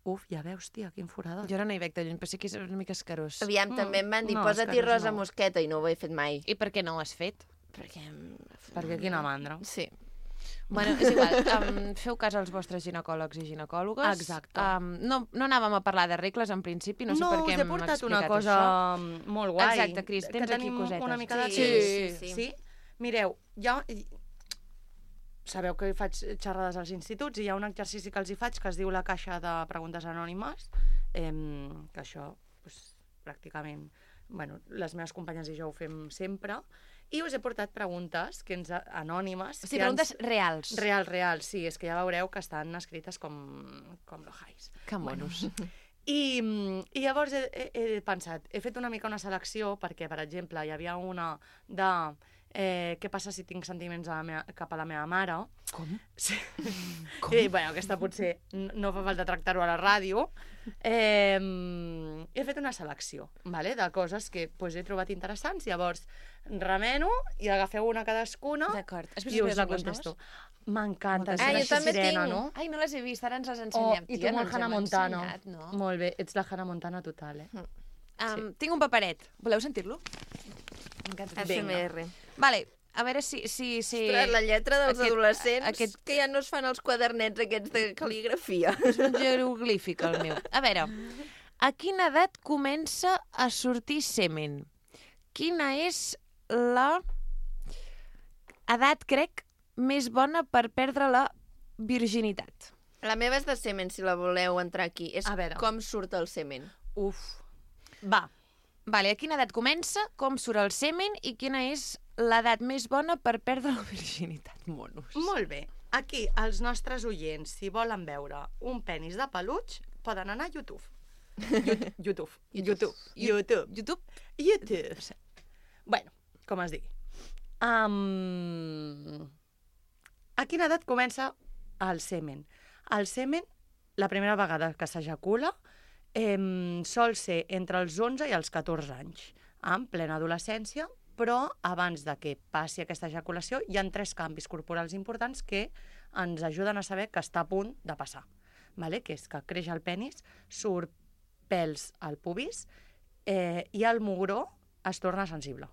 Uf, ja veus, tia, quin forada. Jo ara no hi veig de lluny, però sí que és una mica escarós. Aviam, Mm, també em van dir, no, posa-t'hi escarós rosa no. mosqueta, i no ho he fet mai. I per què no ho has fet? Perquè... Perquè quina mandra. Sí. Bueno, és igual, um, feu cas als vostres ginecòlegs i ginecòlogues. Exacte. Um, no, no anàvem a parlar de regles, en principi, no sé no, per què us he hem portat explicat una cosa això. molt guai. Exacte, Cris, tens que aquí tenim cosetes. una mica de Sí, temps. sí, sí. sí? Mireu, ja... Sabeu que faig xerrades als instituts i hi ha un exercici que els hi faig que es diu la caixa de preguntes anònimes, eh, que això, pues, pràcticament, bueno, les meves companyes i jo ho fem sempre, i us he portat preguntes que ens, anònimes... O sigui, que preguntes ens... reals. Reals, reals, sí, és que ja veureu que estan escrites com, com l'Ojais. Que monos. I, i llavors he, he, he pensat, he fet una mica una selecció perquè, per exemple, hi havia una de eh, què passa si tinc sentiments a la meva, cap a la meva mare. Com? Sí. Com? I, bueno, aquesta potser n- no fa falta tractar-ho a la ràdio. Eh, he fet una selecció, vale, de coses que pues, he trobat interessants, llavors remeno i agafeu una cadascuna D'acord. Has vist i les us la pel·lícules contesto. M'encanta. Moltes Ah, jo Serà també Sirena, tinc. no? Ai, no les he vist, ara ens les Oh, ensenyem. I tu tia, no molt ens Hannah hem Montana. ensenyat, no? Molt bé, ets la Hannah Montana total, eh? Um, tinc un paperet. Voleu sentir-lo? M'encanta. F M R. Vale, a veure si... si, si... Ostres, la lletra dels Aquest- adolescents, aquest- que ja no es fan els quadernets aquests de cal·ligrafia. És un jeroglífic, el meu. A veure, a quina edat comença a sortir semen? Quina és la edat, crec, més bona per perdre la virginitat? La meva és de semen, si la voleu entrar aquí. És A veure. com surt el semen. Uf. Va. Vale, a quina edat comença, com surt el semen i quina és l'edat més bona per perdre la virginitat, monos? Molt bé. Aquí, els nostres oients, si volen veure un penis de peluig, poden anar a YouTube. YouTube. YouTube. YouTube. YouTube. YouTube? YouTube. Bueno, com es digui. Um... A quina edat comença el semen? El semen, la primera vegada que s'ejacula, eh, sol ser entre els onze i els catorze anys, en plena adolescència, però abans de que passi aquesta ejaculació hi ha tres canvis corporals importants que ens ajuden a saber que està a punt de passar. Vale? Que és que creix el penis, surt pèls al pubis eh, i el mugró es torna sensible.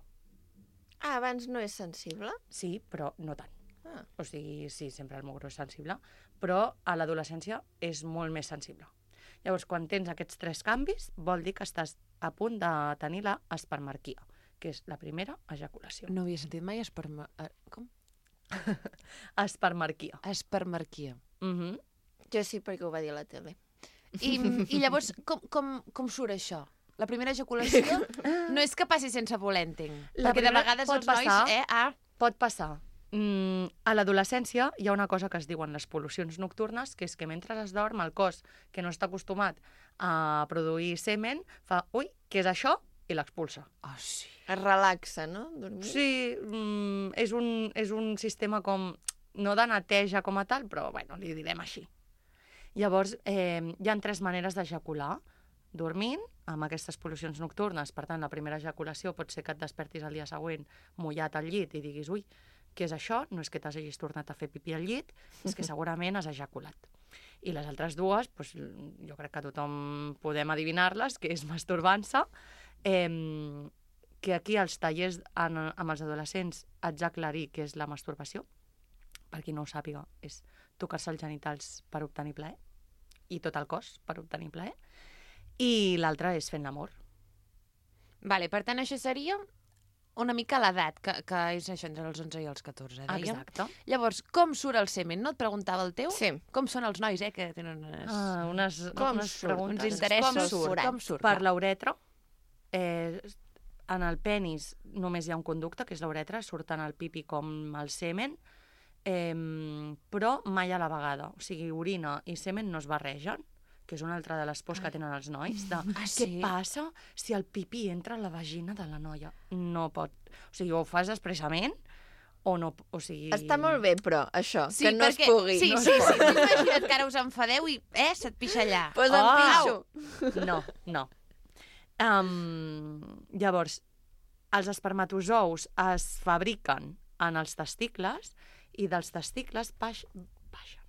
Ah, abans no és sensible? Sí, però no tant. Ah. O sigui, sí, sempre el mugró és sensible, però a l'adolescència és molt més sensible. Llavors, quan tens aquests tres canvis, vol dir que estàs a punt de tenir la espermarquia, que és la primera ejaculació. No havia sentit mai esperma... eh, Com? Espermarquia. Espermarquia. Mm -hmm. Jo sí, perquè ho va dir a la tele. I, i llavors, com, com, com surt això? La primera ejaculació no és que passi sense voler, entenc. La Perquè de primera vegades pot els nois... passar. Eh, ah, Pot passar. Mm, a l'adolescència hi ha una cosa que es diuen les pol·lucions nocturnes, que és que mentre es dorm el cos, que no està acostumat a produir semen, fa, ui, què és això? I l'expulsa. oh, sí. Es relaxa, no? Dormir? Sí, mm, és, un, és un sistema com, no de neteja com a tal, però bueno, li direm així. Llavors, eh, hi ha tres maneres d'ejacular. Dormint, amb aquestes pol·lucions nocturnes, per tant, la primera ejaculació pot ser que et despertis el dia següent mullat al llit i diguis, ui, què és això? No és que t'hagis tornat a fer pipí al llit, és que segurament has ejaculat. I les altres dues, doncs, jo crec que tothom podem adivinar-les, que és masturbant-se, eh, que aquí als tallers en, amb els adolescents haig d'aclarir què és la masturbació. Per qui no ho sàpiga, és tocar-se els genitals per obtenir plaer, i tot el cos per obtenir plaer. I l'altre és fent l'amor. Vale, per tant, això seria una mica l'edat, que, que és això entre els onze i els catorze, dèiem. Exacte. Llavors, com surt el semen? No et preguntava el teu? Sí. Com són els nois, eh, que tenen unes... Ah, unes, Com unes surt? preguntes. uns interessos. com surt? Com surt? Per clar. l'uretra, eh, en el penis només hi ha un conducte, que és l'uretra, surt tant el pipi com el semen, eh, però mai a la vegada. O sigui, orina i semen no es barregen, que és una altra de les pors que tenen els nois, de Ah, què sí? passa si el pipí entra a la vagina de la noia? No pot. O sigui, o ho fas expressament o no... O sigui... Està molt bé, però, això, Sí, que no perquè... es pugui. Sí, no sí, es sí. pugui. Tu imagina't que ara us enfadeu i, eh, se't pixa allà. Posa Oh! pixo. No, no. Um, llavors, els espermatozous es fabriquen en els testicles i dels testicles baix, baixen,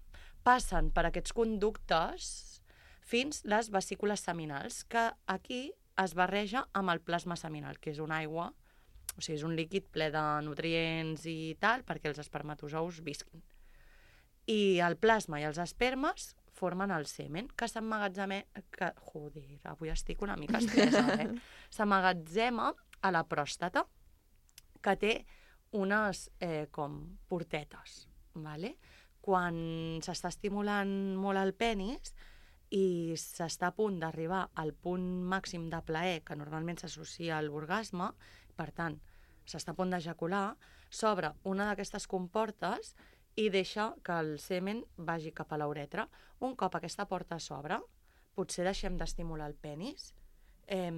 passen per aquests conductes fins les vesícules seminals, que aquí es barreja amb el plasma seminal, que és una aigua, o sigui, és un líquid ple de nutrients i tal, perquè els espermatozous visquin. I el plasma i els espermes formen el semen, que s'emmagatzema... Que, joder, avui estic una mica estresa, eh? S'emmagatzema a la pròstata, que té unes eh, com portetes, ¿vale? Quan s'està estimulant molt el penis i s'està a punt d'arribar al punt màxim de plaer, que normalment s'associa a l'orgasme, per tant, s'està a punt d'ejacular, s'obre una d'aquestes comportes i deixa que el semen vagi cap a l'uretra. Un cop aquesta porta s'obre, potser deixem d'estimular el penis, eh,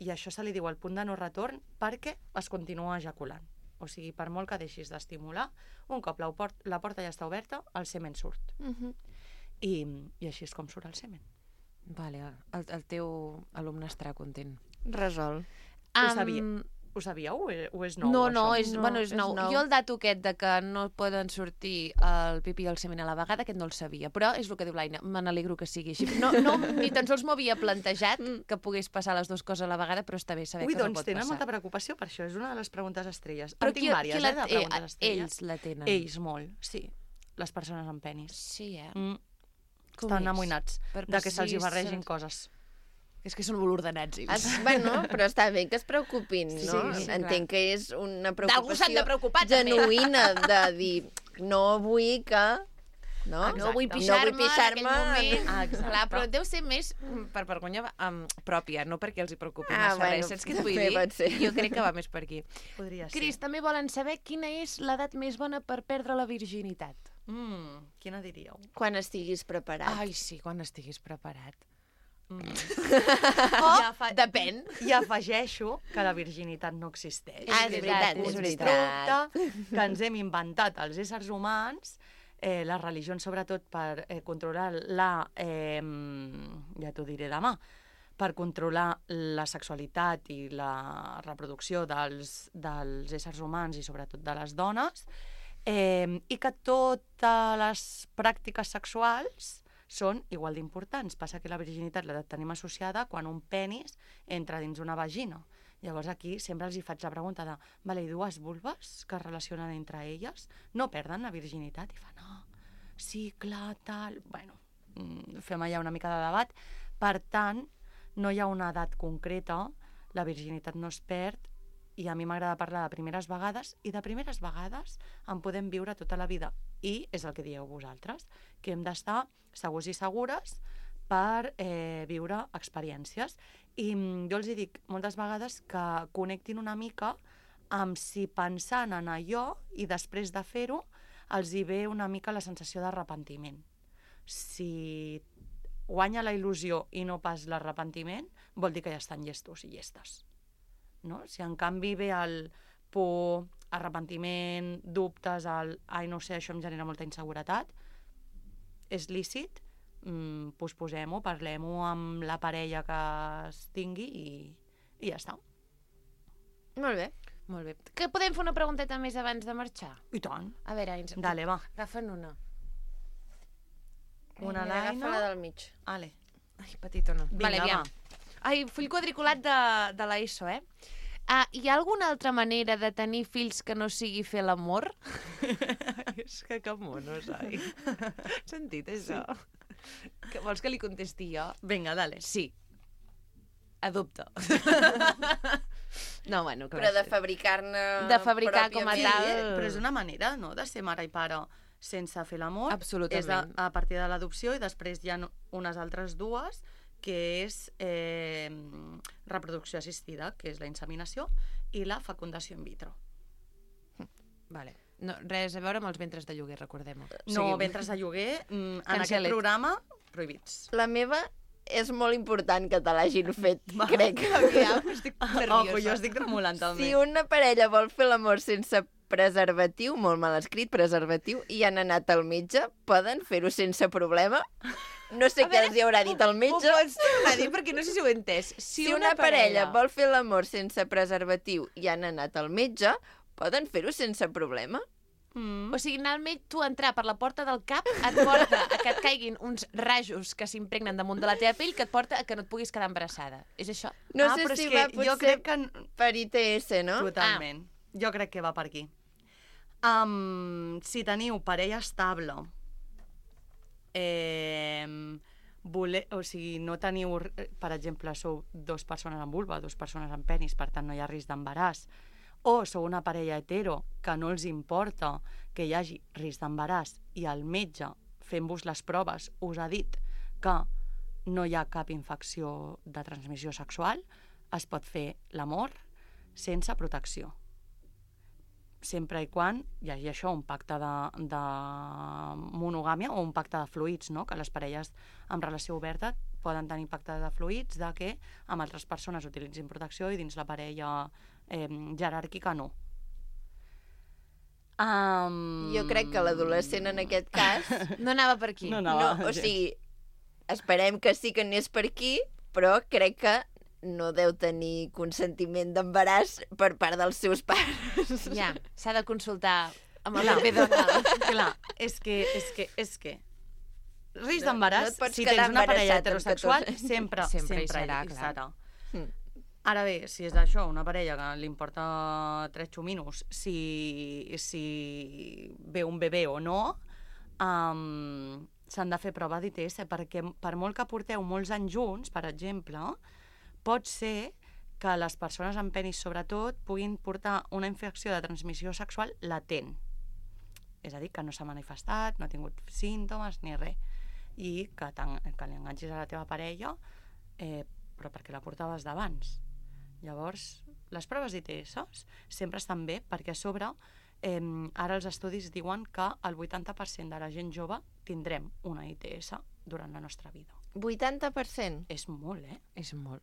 i això se li diu el punt de no retorn perquè es continua ejaculant. O sigui, per molt que deixis d'estimular, un cop la, port la porta ja està oberta, el semen surt. Uh -huh. I, I així és com surt el semen. Vale, el, el teu alumne estarà content. Resol. Ho, Um, sabia, ho sabíeu o és, o és nou, No, això? no, és, No, bueno, és, és nou. nou. Jo el dato aquest de que no poden sortir el pipí i el semen a la vegada, aquest no el sabia, però és el que diu l'Aina, me n'alegro que sigui així. No, no, ni tan sols m'ho havia plantejat que pogués passar les dues coses a la vegada, però està bé saber Ui, que no doncs pot tenen passar. molta preocupació per això, és una de les preguntes estrelles. Però en tinc qui- vàries, qui la- eh, de eh, preguntes estrelles. ells la tenen. Ells, molt, sí. Les persones amb penis. Sí, eh? Mm. Com Estan és? amoïnats Per de que se'ls hi precis- barregin coses. És que són molt ordenats, ells. Es, bueno, però està bé que es preocupin, Sí, no? sí, sí, Entenc que és una D'algú s'han de preocupació preocupar, també. genuïna de dir no vull que... No, Ah, no vull no pixar-me vull pixar-me en aquell moment. Ah, exacte. Clar, però deu ser més mm, per vergonya um, pròpia, no perquè els hi preocupi Ah, massa bueno, res. Saps què et vull també dir? pot ser. Jo crec que va més per aquí. Podria Cris, ser. també volen saber quina és l'edat més bona per perdre la virginitat. Mm, quina diríeu? Quan estiguis preparat. Ai, sí, quan estiguis preparat. Mm. Oh, I afa- depèn. I afegeixo que la virginitat no existeix. Ah, és Que veritat, un és constructe que ens hem inventat els éssers humans, eh, les religions sobretot per eh, controlar la... Eh, ja t'ho diré demà, per controlar la sexualitat i la reproducció dels, dels éssers humans i sobretot de les dones, eh, i que totes les pràctiques sexuals són igual d'importants. Passa que la virginitat la tenim associada quan un penis entra dins una vagina. Llavors aquí sempre els hi faig la pregunta de vale, i dues vulves que es relacionen entre elles no perden la virginitat? I fa, no, sí, clar, tal... Bueno, fem allà una mica de debat. Per tant, no hi ha una edat concreta, la virginitat no es perd, i a mi m'agrada parlar de primeres vegades, i de primeres vegades en podem viure tota la vida. I és el que dieu vosaltres, que hem d'estar segurs i segures per eh, viure experiències. I jo els hi dic moltes vegades que connectin una mica amb si pensant en allò i després de fer-ho els hi ve una mica la sensació d'arrepentiment. Si guanya la il·lusió i no pas l'arrepentiment, vol dir que ja estan llestos i llestes. No? Si en canvi ve el por, arrepentiment, dubtes, el ai, no sé, això em genera molta inseguretat, és lícit, mm, posposem-ho, parlem-ho amb la parella que es tingui i, i ja està. Molt bé. Molt bé. Que podem fer una pregunteta més abans de marxar? I tant. A veure, ens... Dale, va. Agafa'n una. Una Mira, laina. agafa la del mig. Ale. Ai, petitona. Vinga, vale, aviam. va. Ai, full quadriculat de, de l'ESO, eh? Ah, hi ha alguna altra manera de tenir fills que no sigui fer l'amor? És que que monos, ai. Has sentit això? Sí. Que, vols que li contesti jo? Vinga, dale. Sí. Adopta. No, bueno, clar. Però de fabricar-ne... De fabricar com a pròpiament. tal... Sí, però és una manera, no?, de ser mare i pare sense fer l'amor. Absolutament. És a, a partir de l'adopció, i després hi ha unes altres dues, que és eh, reproducció assistida, que és la inseminació, i la fecundació in vitro. Vale. No, res a veure amb els ventres de lloguer, recordem-ho. No, Seguim. ventres de lloguer, mm, en Cancel aquest it. programa, prohibits. La meva és molt important que te l'hagin fet, Va. crec. Aviam, estic nerviosa. Ojo, jo estic tremolant també. Si una parella vol fer l'amor sense preservatiu, molt mal escrit, preservatiu, i han anat al metge, poden fer-ho sense problema? No sé què els hi haurà dit el metge. Ho pots tornar a dir perquè no sé si ho he entès. Si, si una, una parella vol fer l'amor sense preservatiu i han anat al metge, poden fer-ho sense problema? Mm. O sigui, anar al metge, tu entrar per la porta del cap et porta a que et caiguin uns rajos que s'impregnen damunt de la teva pell que et porta a que no et puguis quedar embarassada. És això? No Ah, sé però si és que va jo potser crec que... per I T S, no? Totalment. Ah. Jo crec que va per aquí. Um, si teniu parella estable, eh, voler, o sigui, no teniu, per exemple, sou dues persones amb vulva, dues persones amb penis, per tant no hi ha risc d'embaràs, o sou una parella hetero que no els importa que hi hagi risc d'embaràs i el metge, fent-vos les proves, us ha dit que no hi ha cap infecció de transmissió sexual, es pot fer l'amor sense protecció. Sempre i quan hi hagi això, un pacte de, de monogàmia o un pacte de fluids, no? Que les parelles amb relació oberta poden tenir pacte de fluids, de que amb altres persones utilitzin protecció i dins la parella eh, jeràrquica no. Um... Jo crec que l'adolescent en aquest cas... No anava per aquí. No anava no, o gens. sigui, esperem que sí que anés per aquí, però crec que no deu tenir consentiment d'embaràs per part dels seus pares. Ja, s'ha de consultar amb el Clar, bebè Donald. clar, és que, és que, és que risc No- d'embaràs, no et pots si quedar tens una parella embarassat amb heterosexual, catorze. sempre, Sempre sempre, hi serà, hi clar. serà. Mm. Ara bé, si és això, una parella que li importa tres xuminos, si, si ve un bebè o no, um, s'han de fer prova d'I T S, perquè per molt que porteu molts anys junts, per exemple, pot ser que les persones amb penis, sobretot, puguin portar una infecció de transmissió sexual latent. És a dir, que no s'ha manifestat, no ha tingut símptomes ni res. I que, que li enganxis a la teva parella, eh, però perquè la portaves d'abans. Llavors, les proves d'I T S sempre estan bé perquè a sobre eh, ara els estudis diuen que el vuitanta per cent de la gent jove tindrem una I T S durant la nostra vida. vuitanta per cent? És molt, eh? És molt.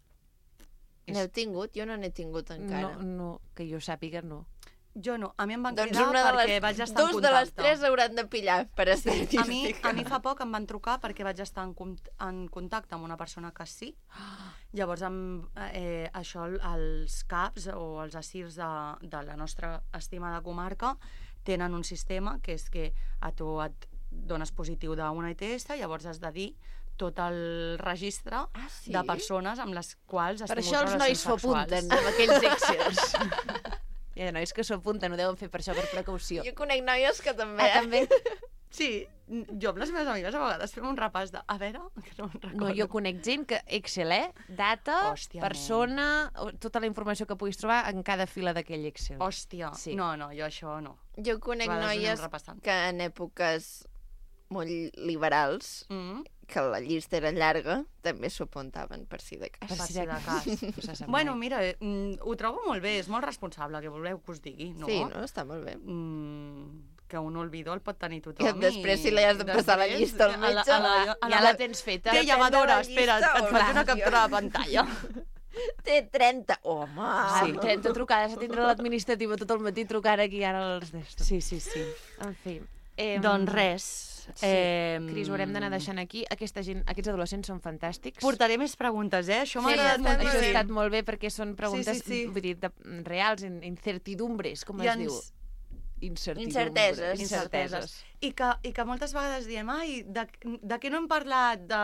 N'heu tingut? Jo no n'he tingut encara. No, no, que jo sàpiga, no. Jo no, a mi em van Doncs cridar una de perquè les, vaig estar en dos contacte. de les tres hauran de pillar per estadística. A mi, a mi fa poc em van trucar perquè vaig estar en, cont- en contacte amb una persona que sí. Llavors, amb, eh, això, els CAPs o els ASIRs de, de la nostra estimada comarca tenen un sistema que és que a tu et dones positiu d'una I T S, llavors has de dir tot el registre ah, sí? de persones amb les quals has per tingut això els nois relacions sexuals. s'apunten amb aquells Excels. Hi ha nois que s'apunten, ho deuen fer per això, per precaució. Jo conec noies que també. Ah, també? Sí, jo amb les meves amigues a vegades fem un repàs de... A veure, que no me'n recordo. No, jo conec gent que Excel, eh? Data, Hòstia, persona, tota la informació que puguis trobar en cada fila d'aquell Excel. Hòstia, sí. no, no, jo això no. Jo conec A vegades ho noies anem repassant. que en èpoques molt liberals, Mm. que la llista era llarga, també s'ho apuntaven per si de cas. Per si de cas. Bueno, mira, eh, mm, ho trobo molt bé, és molt responsable, que voleu que us digui, no? Sí, no? Està molt bé. Mm, que un olvido el pot tenir tothom. I després si li has de passar la llista al metge, a la, a la, a la, ja la tens feta. Què, llevadora, Depèn de la espera, llista, et o faig no? una captura de pantalla. Té trenta. Home! Sí, trenta trucades, a tindre l'administrativa tot el matí trucant aquí ara als d'estos. Sí, sí, sí. En fi. Eh, Doncs res. Sí. Eh, Cris, ho haurem d'anar deixant aquí. Aquesta gent, aquests adolescents són fantàstics. Portaré més preguntes, eh? Això m'ha Sí, agradat això ha moltíssim. estat molt bé perquè són preguntes, Sí, sí, sí. vull dir, de, reals, in- incertidumbres, com I es ens- diu? Incertidumbres. Incerteses. Incerteses. I que, I que moltes vegades diem, ai, de, de què no hem parlat? De...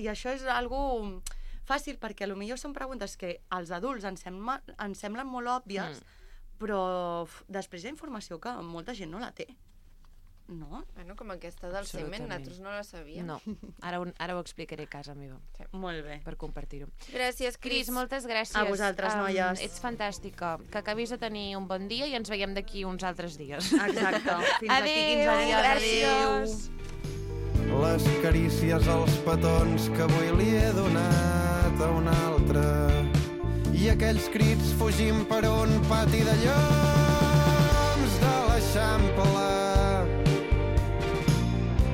I això és algo fàcil, perquè potser són preguntes que als adults ens, sembla, ens semblen molt òbvies, mm. però f, després hi ha informació que molta gent no la té. No? Bueno, com aquesta del semen, nosaltres no la sabíem. No, ara, ho- ara ho explicaré a casa meva. Sí. Molt bé. Per compartir-ho. Gràcies, Cris, Cris. moltes gràcies. A vosaltres, noies. ets fantàstica. Que acabis de tenir un bon dia i ens veiem d'aquí uns altres dies. Exacte. Fins Adéu, d'aquí quinze dies. gràcies. Les carícies als petons que avui li he donat a un altre i aquells crits fugint per un pati de lloms de l'Eixample.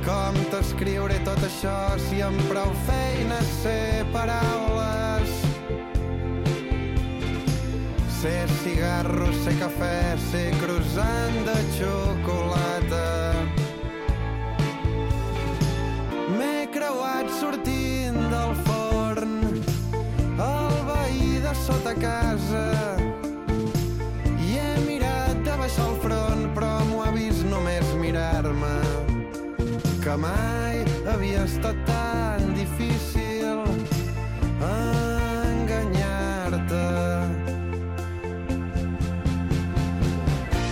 Com t'escriuré tot això si amb prou feines sé paraules? Sé cigarro, sé cafè, sé croissant de xocolata. M'he creuat sortint del forn, el veí de sota casa, i he mirat de baixar el front, però m'ho ha vist només mirar-me, que mai havia estat tan difícil enganyar-te.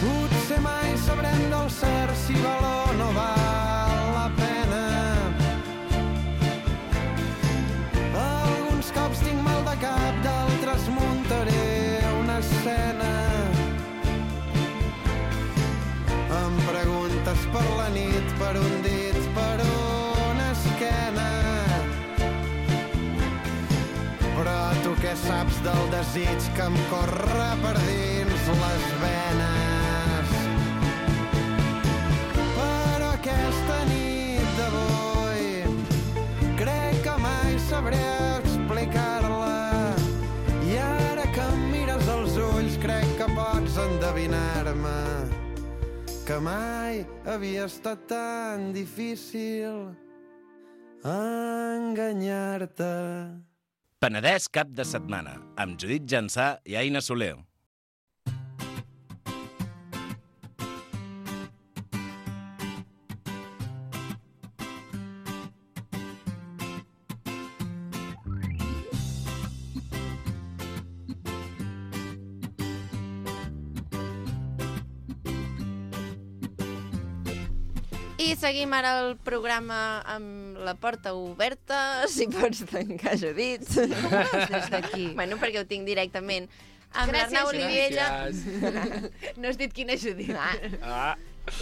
Potser mai sabrem del cert si val o no val la pena. Alguns cops tinc mal de cap, d'altres muntaré una escena. Em preguntes per la nit, per un dit, per una esquena. Però tu què saps del desig que em corre per dins les venes? Però aquesta nit d'avui crec que mai sabré explicar-la. I ara que em mires als ulls crec que pots endevinar-me que mai havia estat tan difícil enganyar-te. Penedès cap de setmana, amb Judit Jansà i Aina Soler. I seguim ara el programa amb la porta oberta, si pots tancar, Judit. Des d'aquí. Bueno, perquè ho tinc directament. Amb Gràcies, l'Arnau Judit. Olivella. No has dit quina Judit. Ah.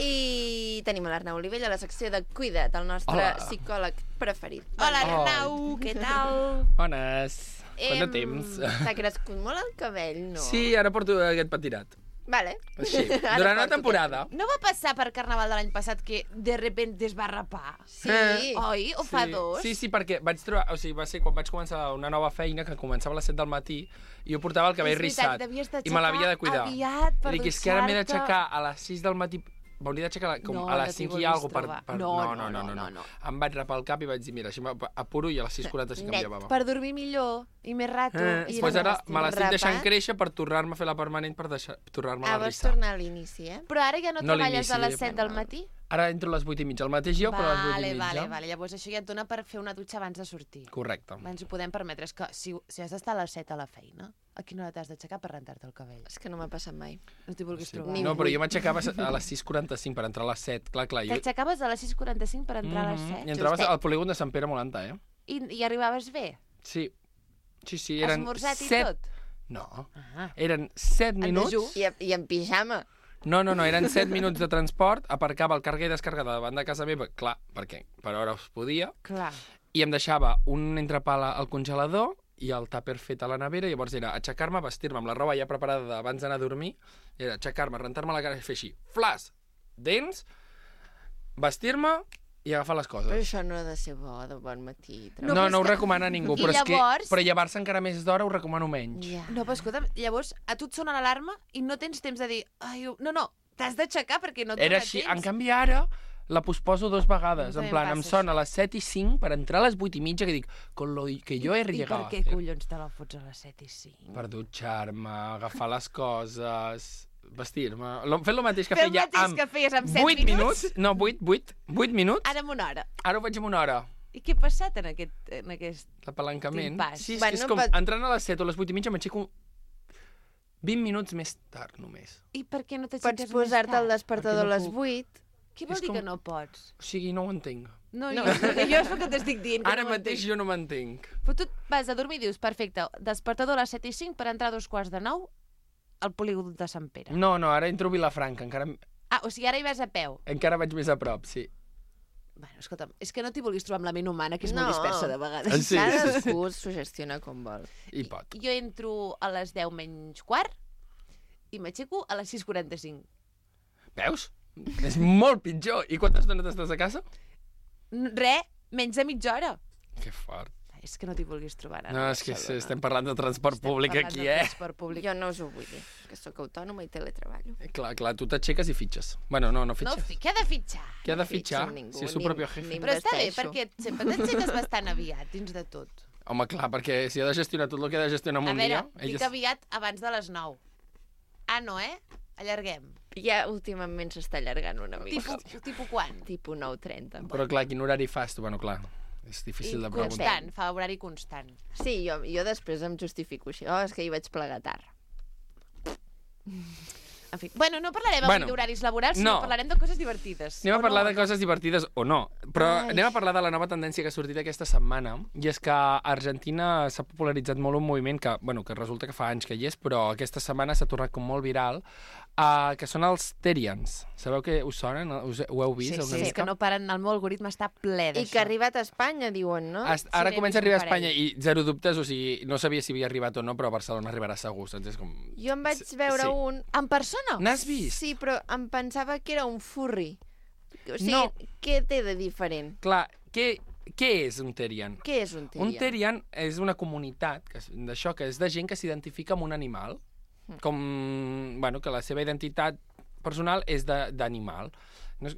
I tenim a l'Arnau Olivella a la secció de Cuida't, el nostre Hola. psicòleg preferit. Hola, Oh. Arnau, què tal? Bones. Quant de Em, temps? T'ha crescut molt el cabell, no? Sí, ara porto aquest patirat. Vale. Així, Ara durant una porto temporada. No va passar per Carnaval de l'any passat que de repente es va rapar? Sí. Eh. Oi? O fa Sí. dos? Sí, sí, perquè vaig trobar... O sigui, va ser quan vaig començar una nova feina, que començava a les set del matí, i jo portava el cabell És veritat, rissat. t'havies I me l'havia de d'aixecar cuidar. aviat per I dic, és que ara m'he dutxar-te. d'aixecar a les sis del matí... M'hauria d'aixecar com No, a les no t'hi cinc i vulguis alguna per, trobar. per... No, No, no, no, no, no, no. Em vaig rapar el cap i vaig dir, mira, així m'apuro i a les sis quaranta-cinc em Net, llevava. per dormir millor i més rato. Eh, I pues ara me l'estic deixant rapat. créixer per tornar-me a fer la permanent per deixar, tornar-me Ah, a vols rissar. tornar a l'inici, eh? Però ara ja no, No treballes a l'inici, les set del matí? Ara entro a les vuit i mitja, el mateix lloc, però a les vuit Vale, i mitja. vale, vale. Llavors això ja et dona per fer una dutxa abans de sortir. Correcte. Ens ho podem permetre. És que si, si has d'estar a les set a la feina, a quina hora t'has d'aixecar per rentar-te el cabell? És que no m'ha passat mai. No t'hi vulguis Sí. trobar. No, però jo m'aixecava a les sis quaranta-cinc per entrar a les set. Clar, clar. Jo... T'aixecaves a les sis quaranta-cinc per entrar a les set? I entraves al polígon de Sant Pere molt alta, eh? I, I arribaves bé? Sí. Sí, sí, eren Esmorzat i set... tot? No. Ah. Eren set minuts... I, I en pijama. No, no, no, eren set minuts de transport, aparcava el carguer i descarregada davant de casa meva, clar, perquè per hora es podia, Clar. i em deixava un entrepà al congelador i el tàper fet a la nevera, i llavors era aixecar-me, vestir-me amb la roba ja preparada abans d'anar a dormir, era aixecar-me, rentar-me la cara i fer així, flas, dents, vestir-me i agafar les coses. Però això no ha de ser bo, de bon matí. No, no, no ho recomana ningú, I però, llavors- és que, però llevar-se encara més d'hora ho recomano menys. Ja. No, però escolta'm, llavors a tu et sona l'alarma i no tens temps de dir... Ai, no, no, t'has d'aixecar perquè no et Era dona així, temps. en canvi ara la posposo dos vegades, També en plan, em em passa sona a les set i cinc per entrar a les vuit i mitja, que dic, con lo que jo he I per llegado a què hacer. collons te la fots a les set i cinc? Per dutxar-me, agafar les coses, vestir-me... Lo- Fer el mateix que Fer el feia mateix amb que feies amb set vuit minuts? minuts. No, vuit, vuit, vuit minuts. Ara en una hora. Ara ho faig en una hora. I què ha passat en aquest... En aquest... L'apalancament. Timpàs. Sí, és, Bueno, que és com pot- entrant a les set o a les vuit i mitja m'aixeco vint minuts més tard, només. I per què no t'aixeques Pots posar-te el despertador a Perquè no les puc. vuit. Què vol És dir com- que no pots? O sigui, no ho entenc. No, no. Jo, jo és el que t'estic dient. Que Ara no ho mateix entenc. jo no m'entenc. Però tu et vas a dormir i dius, perfecte, despertador a les set i cinc per entrar a dos quarts de nou al polígon de Sant Pere. No, no, ara entro a Vilafranca, encara, Ah, o sigui, ara hi vas a peu. encara vaig més a prop, sí. Bueno, escolta'm, és que no t'hi vulguis trobar amb la ment humana, que és No. molt dispersa de vegades. Sí, sí, Cadascú es sugestiona com vol. I pot. Jo entro a les deu menys quart i m'aixeco a les sis quaranta-cinc. Veus? És molt pitjor. I quanta estona estàs a casa? Re, menys de mitja hora. Que fort. És que no t'hi vulguis trobar ara. No, és que sí, estem parlant de transport públic parlant aquí, de eh? transport públic. Jo no us ho vull dir, que sóc autònoma i teletreballo. Clar, clar, tu t'aixeques i fitxes. Bueno, no, no No, fitxes. fi, què ha de fitxar? Què ha de no fitxo fitxar? amb ningú, Si és su ni- propio jefe. ni- Però està bé, Investeixo. perquè sempre t'aixeques bastant aviat, dins de tot. Home, clar, perquè si ha de gestionar tot el que ha de gestionar en A un veure, dia... dic aviat abans de les nou. Ah, no, eh? Allarguem. Ja últimament s'està allargant una mica. Tipus, tipus quan? Tipus nou trenta. Però clar, quin horari fas tu? Bueno, clar, és difícil de preguntar. Constant, fa horari constant. Sí, jo, jo després em justifico així. Oh, és que hi vaig plegar tard. En fi, bueno, no parlarem Bueno, avui d'horaris laborals, sinó no. parlarem de coses divertides. Anem a O parlar no? de coses divertides o no, però Ai. anem a parlar de la nova tendència que ha sortit aquesta setmana, i és que a Argentina s'ha popularitzat molt un moviment que, bueno, que resulta que fa anys que hi és, però aquesta setmana s'ha tornat com molt viral, uh, que són els Terians. Sabeu que us sonen? Us, ho heu vist? Sí, una sí, és mica? que no paren, el meu algoritme està ple d'això. I que ha arribat a Espanya, diuen, no? Est- Ara n'he comença a vist arribar a un parell. Espanya i zero dubtes, o sigui, no sabia si havia arribat o no, però a Barcelona arribarà segur, saps? És com... Jo em vaig veure sí. un... En persona? N'has vist? Sí, però em pensava que era un furry. O sigui, No. què té de diferent? Clar, què, què és un Terian? Què és un Terian? Un Terian és una comunitat que és- d'això, que és de gent que s'identifica amb un animal, com, bueno, que la seva identitat personal és de- d'animal. No és,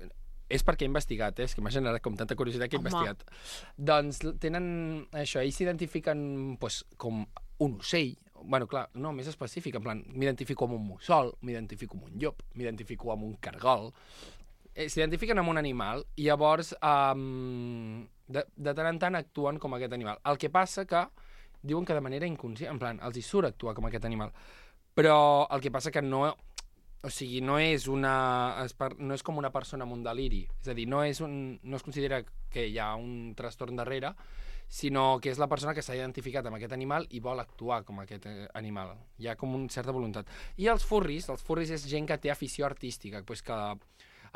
és perquè he investigat, eh? És que m'ha generat com tanta curiositat que he Home. investigat. Doncs tenen això, ells s'identifiquen pues, com un ocell, bueno, clar, no, més específic, en plan, m'identifico amb un mussol, m'identifico amb un llop, m'identifico amb un cargol, eh, s'identifiquen amb un animal i llavors um, de, de tant en tant actuen com aquest animal. El que passa que diuen que de manera inconscient, en plan, els hi surt actuar com aquest animal, però el que passa que no... O sigui, no és, una, es par- no és com una persona amb un deliri. És a dir, no, és un, no es considera que hi ha un trastorn darrere, sinó que és la persona que s'ha identificat amb aquest animal i vol actuar com aquest eh, animal. Hi ha com una certa voluntat. I els furris, els furris és gent que té afició artística, pues que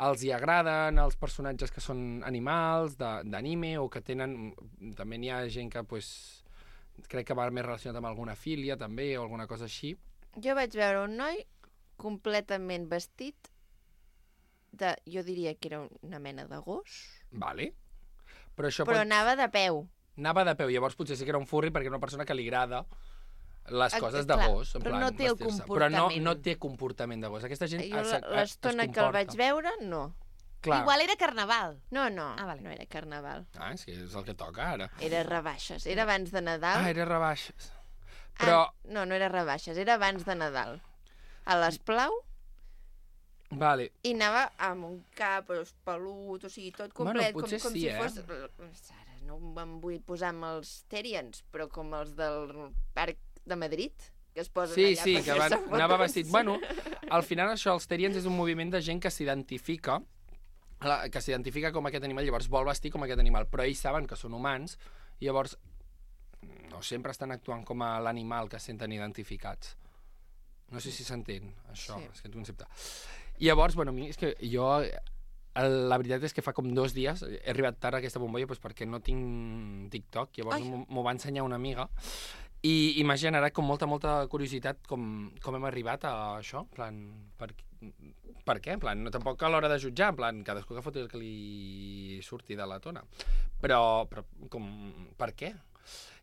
els hi agraden els personatges que són animals, de- d'anime, o que tenen... També n'hi ha gent que, pues, crec que va més relacionat amb alguna filia, també, o alguna cosa així. Jo vaig veure un noi completament vestit de... Jo diria que era una mena de gos, Vale. Però això però pot... anava de peu. Anava de peu, llavors potser sí que era un furry perquè era una persona que li agrada les Ah, coses de clar, gos, en però plan, no té el vestir-se. Però no, comportament. no té comportament de gos. Aquesta gent Jo es, la- es, l'estona es que el comporta. vaig veure, no. Clar. Igual era carnaval. No, no, Ah, vale. no era carnaval. Ah, és que és el que toca ara. Era rebaixes. Era abans de Nadal. Ah, era rebaixes. Però... Ah, no, no era rebaixes, era abans de Nadal. A l'Esplau, Vale. I anava amb un cap pelut, o sigui, tot Bueno, complet, potser com, com sí, si eh? fos... Ara no em vull posar amb els Terians, però com els del Parc de Madrid, que es posen Sí, allà sí, per que van, fer-se anava fotos. vestit... Bueno, al final això, els Terians és un moviment de gent que s'identifica la- que s'identifica com aquest animal, llavors vol vestir com aquest animal, però ells saben que són humans i llavors no sempre estan actuant com a l'animal que es senten identificats. No sé si s'entén, això, Sí. aquest concepte. I llavors, bueno, a mi és que jo... el- La veritat és que fa com dos dies he arribat tard a aquesta bombolla doncs perquè no tinc TikTok, llavors Ai. m'ho m'ho va ensenyar una amiga i, i m'ha generat com molta, molta curiositat com, com hem arribat a això, en plan, per, per què? En plan, no, tampoc a l'hora de jutjar, en plan, cadascú que foti el que li surti de la tona. Però, però com, per què?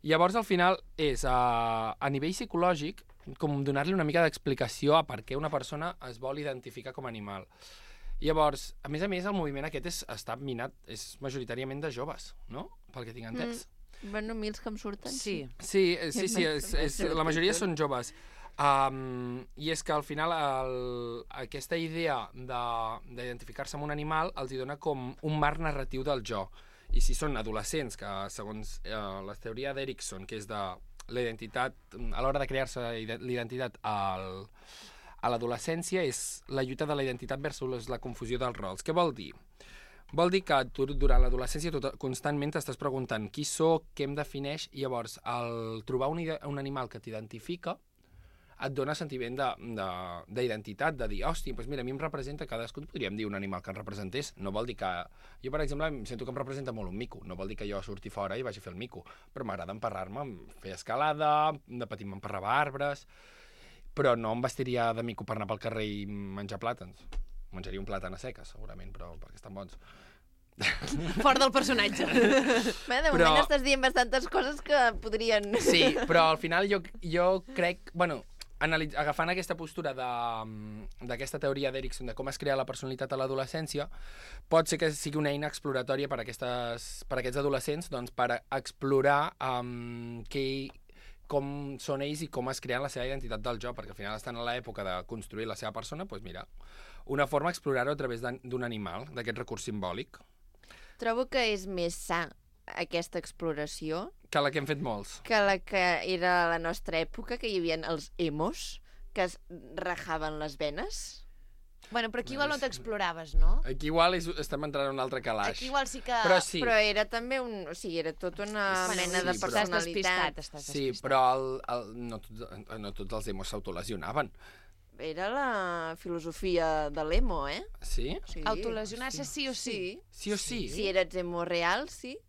Llavors, al final, és a, a nivell psicològic, com donar-li una mica d'explicació a per què una persona es vol identificar com a animal. Llavors, a més a més, el moviment aquest és, està minat, és majoritàriament de joves, no? Pel que tinc entès. Mm. Bueno, a mi els que em surten, sí. Sí, eh, sí, sí, és, és, la majoria són joves. Um, I és que al final el, aquesta idea de- d'identificar-se amb un animal els hi dona com un marc narratiu del jo. I si són adolescents, que segons eh, la teoria d'Erikson, que és de la identitat, a l'hora de crear-se l'identitat al, a l'adolescència, és la lluita de la identitat versus la confusió dels rols. Què vol dir? Vol dir que tu, durant l'adolescència, tot, constantment t'estàs preguntant qui sóc, què em defineix, i llavors, al trobar un, ide- un animal que t'identifica, et dona sentiment d'identitat, de, de, de dir, hòstia, doncs mira, a mi em representa, cadascú podríem dir un animal que em representés. No vol dir que... Jo, per exemple, em sento que em representa molt un mico. No vol dir que jo surti fora i vagi a fer el mico. Però m'agrada emparrar-me, fer escalada, de petit m'emparrava arbres, però no em vestiria de mico per anar pel carrer i menjar plàtans. Menjaria un plàtan a seques, segurament, però perquè estan bons. Fort del personatge. Bé, de Però- moment estàs dient bastantes coses que podrien... Sí, però al final jo, jo crec... Bueno, analitz, agafant aquesta postura de, d'aquesta teoria d'Erikson de com es crea la personalitat a l'adolescència, pot ser que sigui una eina exploratòria per, aquestes, per aquests adolescents, doncs, per explorar um, què, com són ells i com es creen la seva identitat del jo, perquè al final estan a l'època de construir la seva persona, doncs mira, una forma d'explorar-ho a través d'un d'un animal, d'aquest recurs simbòlic, Trobo que és més sa aquesta exploració que la que hem fet molts. que la que era a la nostra època, que hi havia els emos, que es rajaven les venes. Bueno, però aquí igual no t'exploraves, no? Aquí igual és, estem entrant en un altre calaix. Aquí igual sí que... Però sí. Però era també un... O sigui, era tota una Bueno, mena sí, de però- personalitat. Estàs despistat, estàs Sí, però el, el, no, tots, no tots els emos s'autolesionaven. Era la filosofia de l'emo, eh? Sí? Sí. Autolesionar-se sí o sí? Sí o sí? Si eres emo real, sí.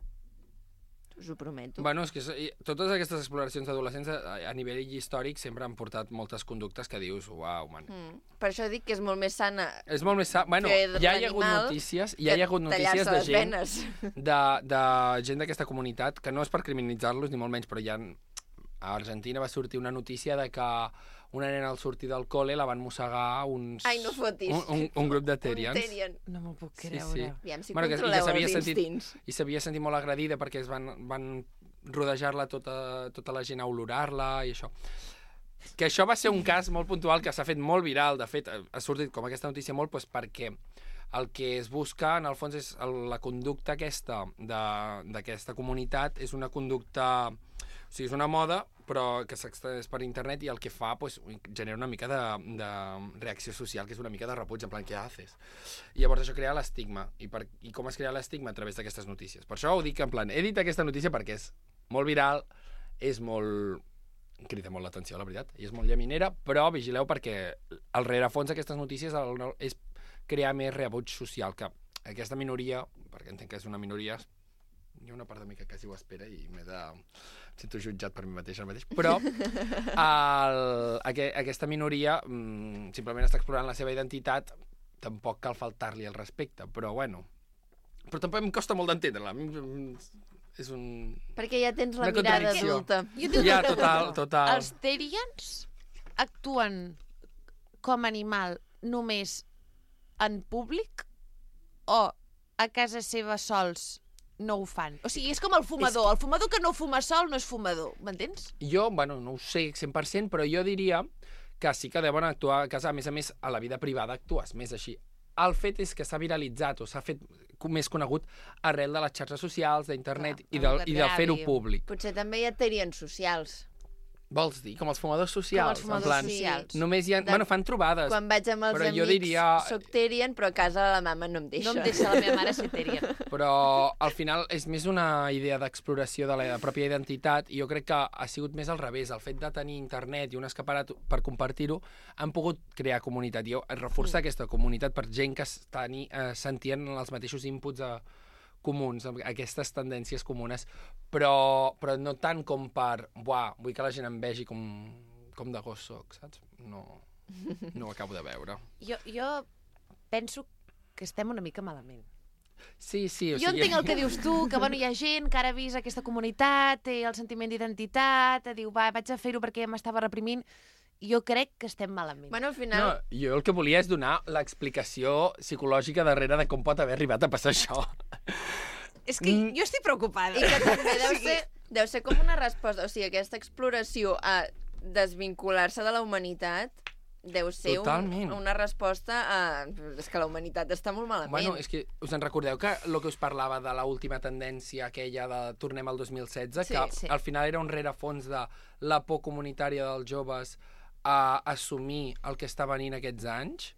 Us ho prometo. Bueno, és que i- totes aquestes exploracions d'adolescents a, a nivell històric sempre han portat moltes conductes que dius, uau, man. Mm. Per això dic que és molt més sana És molt més sa... Bueno, fer ja hi ha hagut l'animal notícies, que ja hi ha hagut notícies tallar-se de les gent, venes. de, de gent d'aquesta comunitat, que no és per criminalitzar-los ni molt menys, però ja a Argentina va sortir una notícia de que una nena al sortir del col·le la van mossegar uns... Ai, no fotis. Un, un, un grup de Terians. Un Terian. No m'ho puc Sí, creure. sí. Aviam si que- i controleu s'havia els sentit, instints. I s'havia sentit molt agredida perquè es van, van rodejar-la tota, tota la gent a olorar-la i això. Que això va ser un cas molt puntual que s'ha fet molt viral. De fet, ha sortit com aquesta notícia molt doncs, perquè el que es busca, en el fons, és el, la conducta aquesta de- d'aquesta comunitat és una conducta... O sigui, és una moda, però que s'extès per internet i el que fa doncs, genera una mica de, de reacció social, que és una mica de repuig, en plan, què haces? I llavors això crea l'estigma. I, per, I com es crea l'estigma? A través d'aquestes notícies. Per això ho dic en plan, he dit aquesta notícia perquè és molt viral, és molt... crida molt l'atenció, la veritat, i és molt llaminera, però vigileu perquè el rerefons d'aquestes notícies el- és crear més rebuig social, que aquesta minoria, perquè entenc que és una minoria, hi ha una part de mi que quasi ho espera i m'he de... em sento jutjat per mi mateix ara mateix, però el, aqu aquesta minoria mm, simplement està explorant la seva identitat, tampoc cal faltar-li el respecte, però bueno, però tampoc em costa molt d'entendre-la. És un... Perquè ja tens la una mirada contradicció. adulta. Jo tinc Ja, una total, pregunta. total. Els Terians actuen com a animal només en públic o a casa seva sols no ho fan? O sigui, és com el fumador. El fumador que no fuma sol no és fumador, m'entens? Jo, bueno, no ho sé cent per cent, però jo diria que sí que deuen actuar a casa. A més a més, a la vida privada actues més així. El fet és que s'ha viralitzat o s'ha fet més conegut arrel de les xarxes socials, d'internet i, del, i de fer-ho públic. Potser també hi ha terians socials. Vols dir? Com els fumadors socials? Com els fumadors en plan, socials. Només hi ha... De... Bueno, fan trobades. Quan vaig amb els però amics, jo diria... soc Terian, però a casa la mama no em deixa. No em deixa la meva mare ser Terian. Però al final és més una idea d'exploració de la pròpia identitat i jo crec que ha sigut més al revés. El fet de tenir internet i un escaparat per compartir-ho han pogut crear comunitat i reforçar mm. aquesta comunitat per gent que teni, eh, sentien els mateixos inputs a comuns, aquestes tendències comunes, però, però no tant com per, buah, vull que la gent em vegi com, com de gos soc, saps? No, no ho acabo de veure. Jo, jo penso que estem una mica malament. Sí, sí, o jo sigui... entenc el que dius tu, que bueno, hi ha gent que ara ha vist aquesta comunitat, té el sentiment d'identitat, diu, va, vaig a fer-ho perquè m'estava reprimint. Jo crec que estem malament. Bueno, al final... No, jo el que volia és donar l'explicació psicològica darrere de com pot haver arribat a passar això. És que mm. jo estic preocupada. I que també deu ser, deu ser com una resposta, o sigui, aquesta exploració a desvincular-se de la humanitat deu ser un, una resposta a... És que la humanitat està molt malament. Bueno, és que us en recordeu que el que us parlava de l'última tendència aquella de Tornem al dos mil setze, sí, que sí. al final era un rerefons de la por comunitària dels joves a assumir el que està venint aquests anys?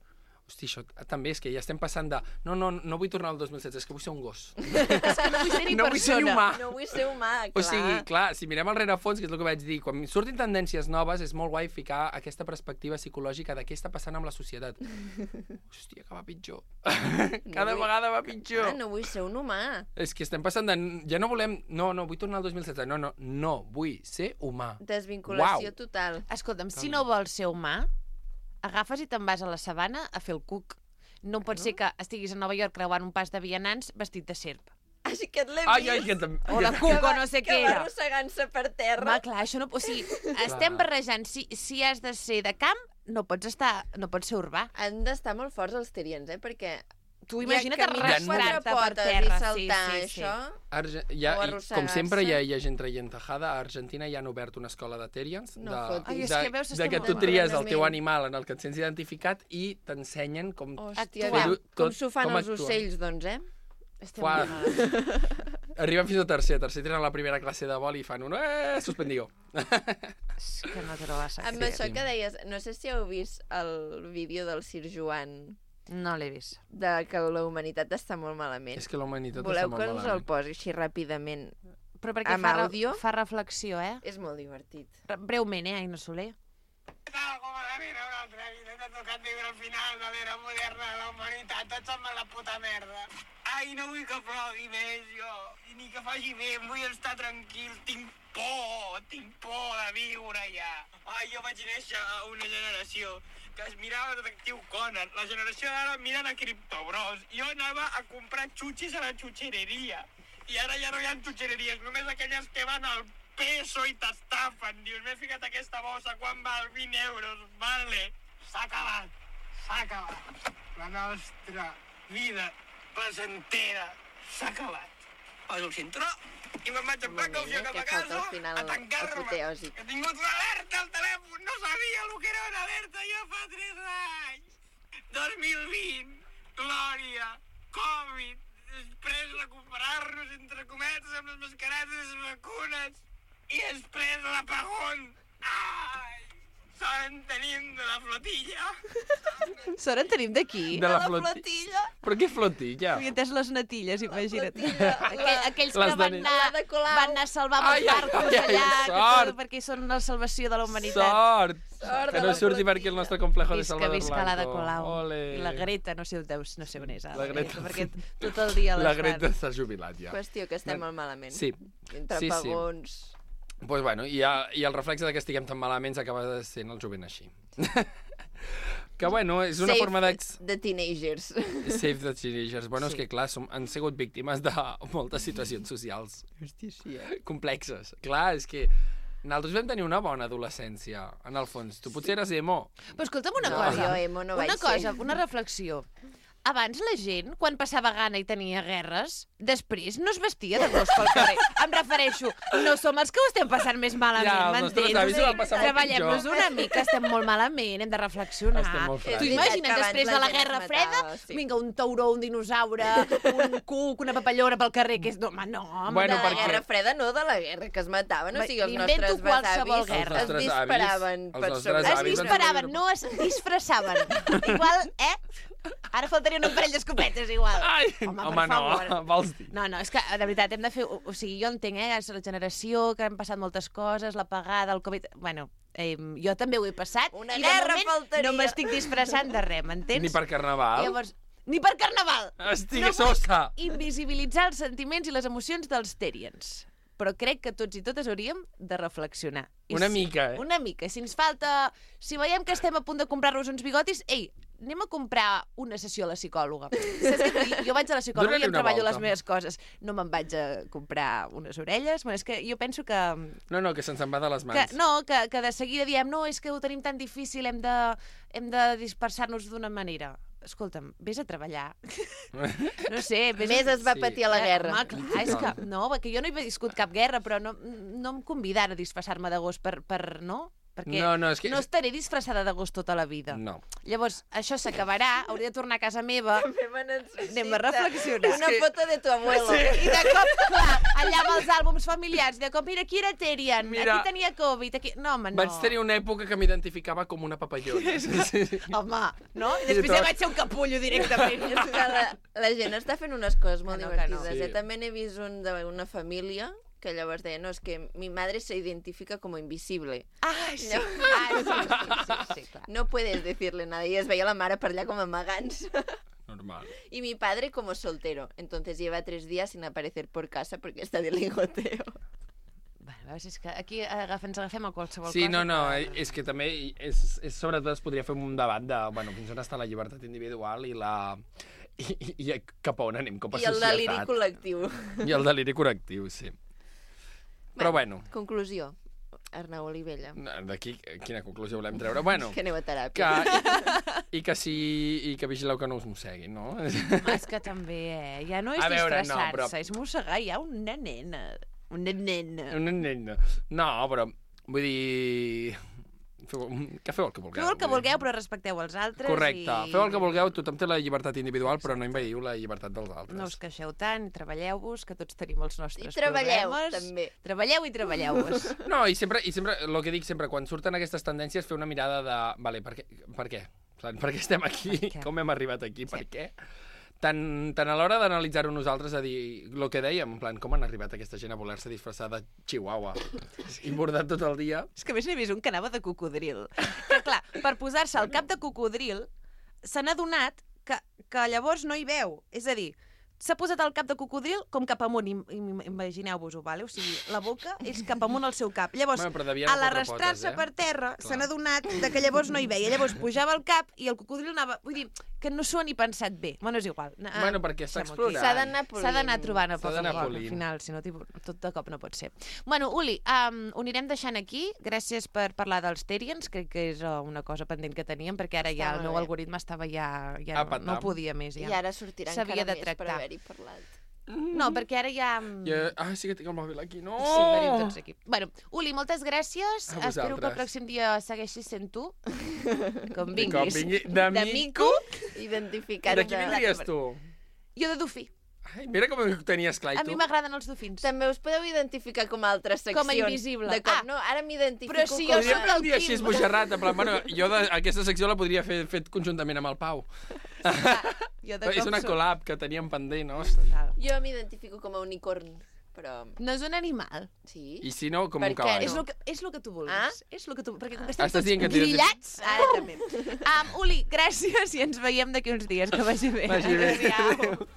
Hosti, això també és que ja estem passant de no, no, no vull tornar al dos mil setze, és que vull ser un gos. És que no vull ser ni no persona. Vull ser humà. No vull ser humà, clar. O sigui, clar, si mirem al rerefons, que és el que vaig dir, quan surtin tendències noves és molt guai ficar aquesta perspectiva psicològica de què està passant amb la societat. Hòstia, que va pitjor. Cada no vull... vegada va pitjor. Ah, no vull ser un humà. És que estem passant de... Ja no volem... No, no, vull tornar al dos mil setze. No, no, no, vull ser humà. Desvinculació Uau. total. Escolta'm, si no vols ser humà, agafes i te'n vas a la sabana a fer el cuc. No pot ser que estiguis a Nova York creuant un pas de vianants vestit de serp. Així que et l'he Ai, vist. ai, que tam- O la cuc, o no sé que què va era. arrossegant-se per terra. Home, clar, això no... O sigui, estem barrejant. Si, si has de ser de camp, no pots estar... No pots ser urbà. Han d'estar molt forts els terians, eh? Perquè... Tu imagina't ja arrastrar-te per potes terra. i saltar, sí, sí, sí. això... Arge hi ha, O i, com sempre hi ha, hi ha gent traient tajada. A Argentina hi han obert una escola de Terians, No de, fotis. Ai, és de, que veus, de estem que molt tu tries el malament. teu animal en el que et sents identificat i t'ensenyen com Hòstia, fer-ho com tot, s'ho fan com els actuen. ocells, doncs, eh? Estem Fuà. molt malament. Arriben fins a tercer, tercer tenen la primera classe de vol i fan un eh, suspendigo. És que no te lo vas a Amb fer. això que deies, no sé si heu vist el vídeo del Sir Joan No l'he vist. de que la humanitat està molt malament. És que la humanitat Voleu està molt que us el malament. posi així ràpidament? Però perquè Amb fa, re- àudio? fa reflexió, eh? És molt divertit. Re- Breument, eh, Aina Soler? Tal com a la vida una altra vida, t'ha tocat viure el final de l'era moderna de la humanitat, tots som a la puta merda. Ai, no vull que plogui més, jo, i ni que faci vent, vull estar tranquil, tinc por, tinc por de viure ja. Ai, jo vaig néixer a una generació que es mirava Detectiu Conan, la generació d'ara miren a Criptobros. Jo anava a comprar xutxis a la xutxereria, i ara ja no hi ha xutxereries, només aquelles que van al peso i t'estafen. Dius, m'he ficat aquesta bossa, quan val? vint euros, vale. S'ha acabat, s'ha acabat. La nostra vida placentera s'ha acabat. Poso el cinturó i me'n vaig en precaució cap a que falta casa al final a tancar-me. apoteòsic. He tingut una alerta al telèfon, no sabia el que era una alerta jo fa tres anys. dos mil vint, glòria, Covid, després recuperar-nos entre cometes amb les mascaretes i les vacunes, i després l'apagón. Ai, sort en tenim de la flotilla. Sort en tenim d'aquí? De la flotilla. Però què flotilla? Havia entès les natilles, imagina't. Aquell, aquells Les que van de- anar, van anar a salvar amb Ai, els ai, barcos ai, ai, allà, que sort. tot, perquè són la salvació de la humanitat. Sort! Sort que de no la surti per aquí el nostre complejo de Visca, Salvador visca l'Ada Blanco. Colau. Ole. I la Greta, no sé on deus, no sé on és. ara, La Greta. perquè tot el dia les La fan. Greta s'ha jubilat ja. Qüestió que estem molt malament. Sí. Entre Sí, sí. apagons... Pues bueno, i, a, i el reflexe de que estiguem tan malament acaba sent el jovent així. que bueno, és una Save forma de... the teenagers. Save the teenagers. Bueno, sí. És que clar, som, han sigut víctimes de moltes situacions socials Hòstia, sí, eh? complexes. Clar, és que nosaltres vam tenir una bona adolescència, en el fons. Tu potser eres emo. Però escolta'm una No, cosa. jo emo no vaig una cosa, ser. una reflexió. abans la gent, quan passava gana i tenia guerres, després no es vestia de gos pel carrer. Em refereixo, no som els que ho estem passant més malament, Ja, els nostres avis ho van passar molt Treballem-nos pitjor. una mica, estem molt malament, hem de reflexionar. Estem molt fràgils. Tu És imagina't, veritat que després abans de la la gent Guerra es Freda, matava, sí. vinga, un tauró, un dinosaure, un cuc, una papallona pel carrer, que és... No, home, no, home, Bueno, de la perquè- Guerra Freda, no de la guerra, que es mataven. O sigui, els M'invento nostres qualsevol besavis guerra. es Els nostres avis- disparaven els per nostres sobre. Es avis van disparaven, no es disfressaven. Igual, eh? Ara faltaria un parell d'escopetes, igual. Ai, home, home, per no, favor. vols dir? No, no, és que, de veritat, hem de fer... O, o sigui, jo entenc, eh? És la generació, que han passat moltes coses, l'apagada, el Covid... Bueno, eh, jo també ho he passat. Una i de guerra moment faltaria. no m'estic disfressant de res, m'entens? Ni per carnaval? Llavors, ni per carnaval! Estigui no vull sosa! invisibilitzar els sentiments i les emocions dels Terians. Però crec que tots i totes hauríem de reflexionar. I Una si- mica, eh? Una mica. Si ens falta... Si veiem que estem a punt de comprar-nos uns bigotis, ei, anem a comprar una sessió a la psicòloga. Saps què vull dir? Jo vaig a la psicòloga Dóna-li i em una treballo volta. les meves coses. No me'n vaig a comprar unes orelles. Bueno, és que jo penso que... No, no, que se'ns en va de les que mans. no, que, que de seguida diem no, és que ho tenim tan difícil, hem de, hem de dispersar-nos d'una manera. Escolta'm, vés a treballar. No sé, vés Més es va Sí. patir a la Eh, guerra. Home, clar, és que... No, perquè jo no he viscut cap guerra, però no, no em convidar a disfressar-me de gos per, per... No? Perquè No, no, és que- no estaré disfressada de gos tota la vida. No. Llavors, això s'acabarà, hauré de tornar a casa meva. També me necessita Anem a reflexionar. Una foto de tu abuelo. I de cop, clar, allà amb els àlbums familiars, de cop, mira, aquí era Terian, Mira, aquí tenia Covid, aquí... No, home, no. Vaig tenir una època que m'identificava com una papallona. Sí, sí. Home, no? I I després tot. ja vaig ser un capullo directament. És que la, la gent està fent unes coses molt Que no, que no. divertides. Sí. Eh? També n'he vist un d'una família que llavors deia, no, és que mi madre se identifica como invisible. Ah, sí. Llavors- Ah, sí, sí, sí, sí, clar. No puedes decirle nada. I es veia la mare per allà com amagant-se. Normal. Y mi padre como soltero. Entonces lleva tres días sin aparecer por casa porque está de ligoteo. Bueno, veus, és que aquí agafem, ens agafem a qualsevol Sí, cosa. no, no, que- és que també és, és, sobretot es podria fer un debat de, bueno, fins on està la llibertat individual i la... I, i, i cap a on anem com a I el societat. deliri col·lectiu. I el deliri col·lectiu, sí. Però bueno, Conclusió. Arnau Olivella. d'aquí quina conclusió volem treure? Bueno, Que aneu a que, teràpia. i, i, que sí, i que vigileu que no us mosseguin, no? Home, és que també, eh? Ja no és A veure, no, disfressar-se, però- és mossegar ja una nena. Una nena. Una nena. No, però vull dir... Feu, que feu el que vulgueu. Feu el que vull dir. vulgueu, però respecteu els altres. Correcte. I... Feu el que vulgueu, tothom té la llibertat individual, però no invadiu la llibertat dels altres. No us queixeu tant, treballeu-vos, que tots tenim els nostres I treballeu, problemes. també. Treballeu i treballeu-vos. No, i sempre, i sempre, el que dic sempre, quan surten aquestes tendències, fer una mirada de... Vale, per què? Per què? Per què estem aquí? Per què? Com hem arribat aquí? Per què? Tant, tant a l'hora d'analitzar-ho nosaltres, a dir, el que dèiem, en plan, com han arribat aquesta gent a voler-se disfressar de chihuahua i bordat tot el dia. És que a més n'he vist un que anava de cocodril. Que clar, per posar-se al cap de cocodril, se n'ha donat que, que llavors no hi veu. És a dir, s'ha posat al cap de cocodril com cap amunt, im, im, imagineu-vos-ho, vale? O sigui, la boca és cap amunt al seu cap. Llavors, Bueno, però devia a anar a quatre l'arrastrar-se potes, eh? per terra, Clar. se n'ha donat de que llavors no hi veia. Llavors pujava el cap i el cocodril anava... Vull dir, que no s'ho ha ni pensat bé. Bueno, és igual. Ah, Bueno, perquè està deixem-ho aquí. explorant. S'ha d'anar S'ha d'anar polint. trobant a S'ha poc a d'anar poc, al polint. final, si no, tipus, tot de cop no pot ser. Bueno, Uli, um, ho anirem deixant aquí. Gràcies per parlar dels Terians, crec que és uh, una cosa pendent que teníem, perquè ara ja Està el molt meu bé. algoritme estava ja... ja A no, patam. no podia més, ja. I ara sortirà S'havia encara de més per tractar. haver-hi parlat. No, perquè ara ja... Jo... Ah, sí que tinc el mòbil aquí. No! Sí, venim tots aquí. Bueno, Uli, moltes gràcies. A Espero que el vosaltres. pròxim dia segueixis sent tu. Com Com vinguis. vingui. De mico? Identificat. De qui vindries tu? Jo de dofí. Ai, mira com ho tenies clar, i A tu. mi m'agraden els dofins. També us podeu identificar com a altres seccions. Com a invisible. De cop, Ah, no, ara m'identifico però si com... jo Podríem sóc fer el un dia així Quim. esbojarrat, en plan, bueno, jo de, aquesta secció la podria fer fet conjuntament amb el Pau. Jo de És cop una sóc- collab que teníem pendent, no? Total. Jo m'identifico com a unicorn, però... No és un animal. Sí? I si no, com Per un què cavall. És el que, és lo que tu vulguis. Ah? És lo que tu... Perquè com que estem Estàs tots dient que t'identifiques- grillats, ara també. Um, Uli, gràcies i ens veiem d'aquí uns dies. Que vagi bé. Vagi bé. Adéu-siau.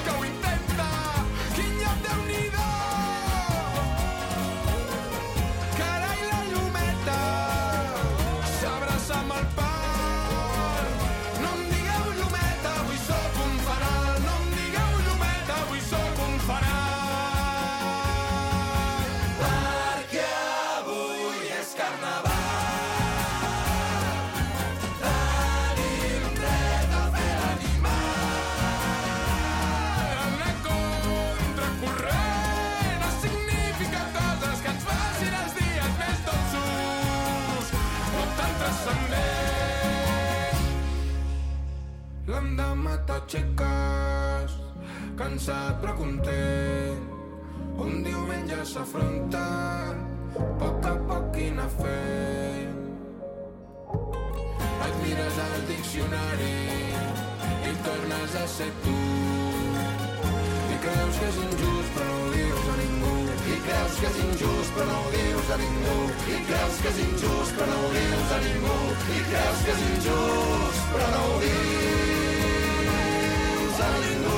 Que ho intenta, quin lloc Déu-n'hi-do. Carai, la llumeta s'abraça amb el pal. No em digueu llumeta, avui sóc un fanal. No em digueu llumeta, avui sóc un fanal. Perquè avui és carnaval. demandándome estas chicas. Cansat però content. Un diumenge s'afronta, poc a poc i anar fent. Et mires al diccionari i tornes a ser tu. I creus que és injust però no ho dius a ningú. I creus que és injust però no ho dius a ningú. I creus que és injust però no ho dius a ningú. I creus que és injust però no ho dius a ningú.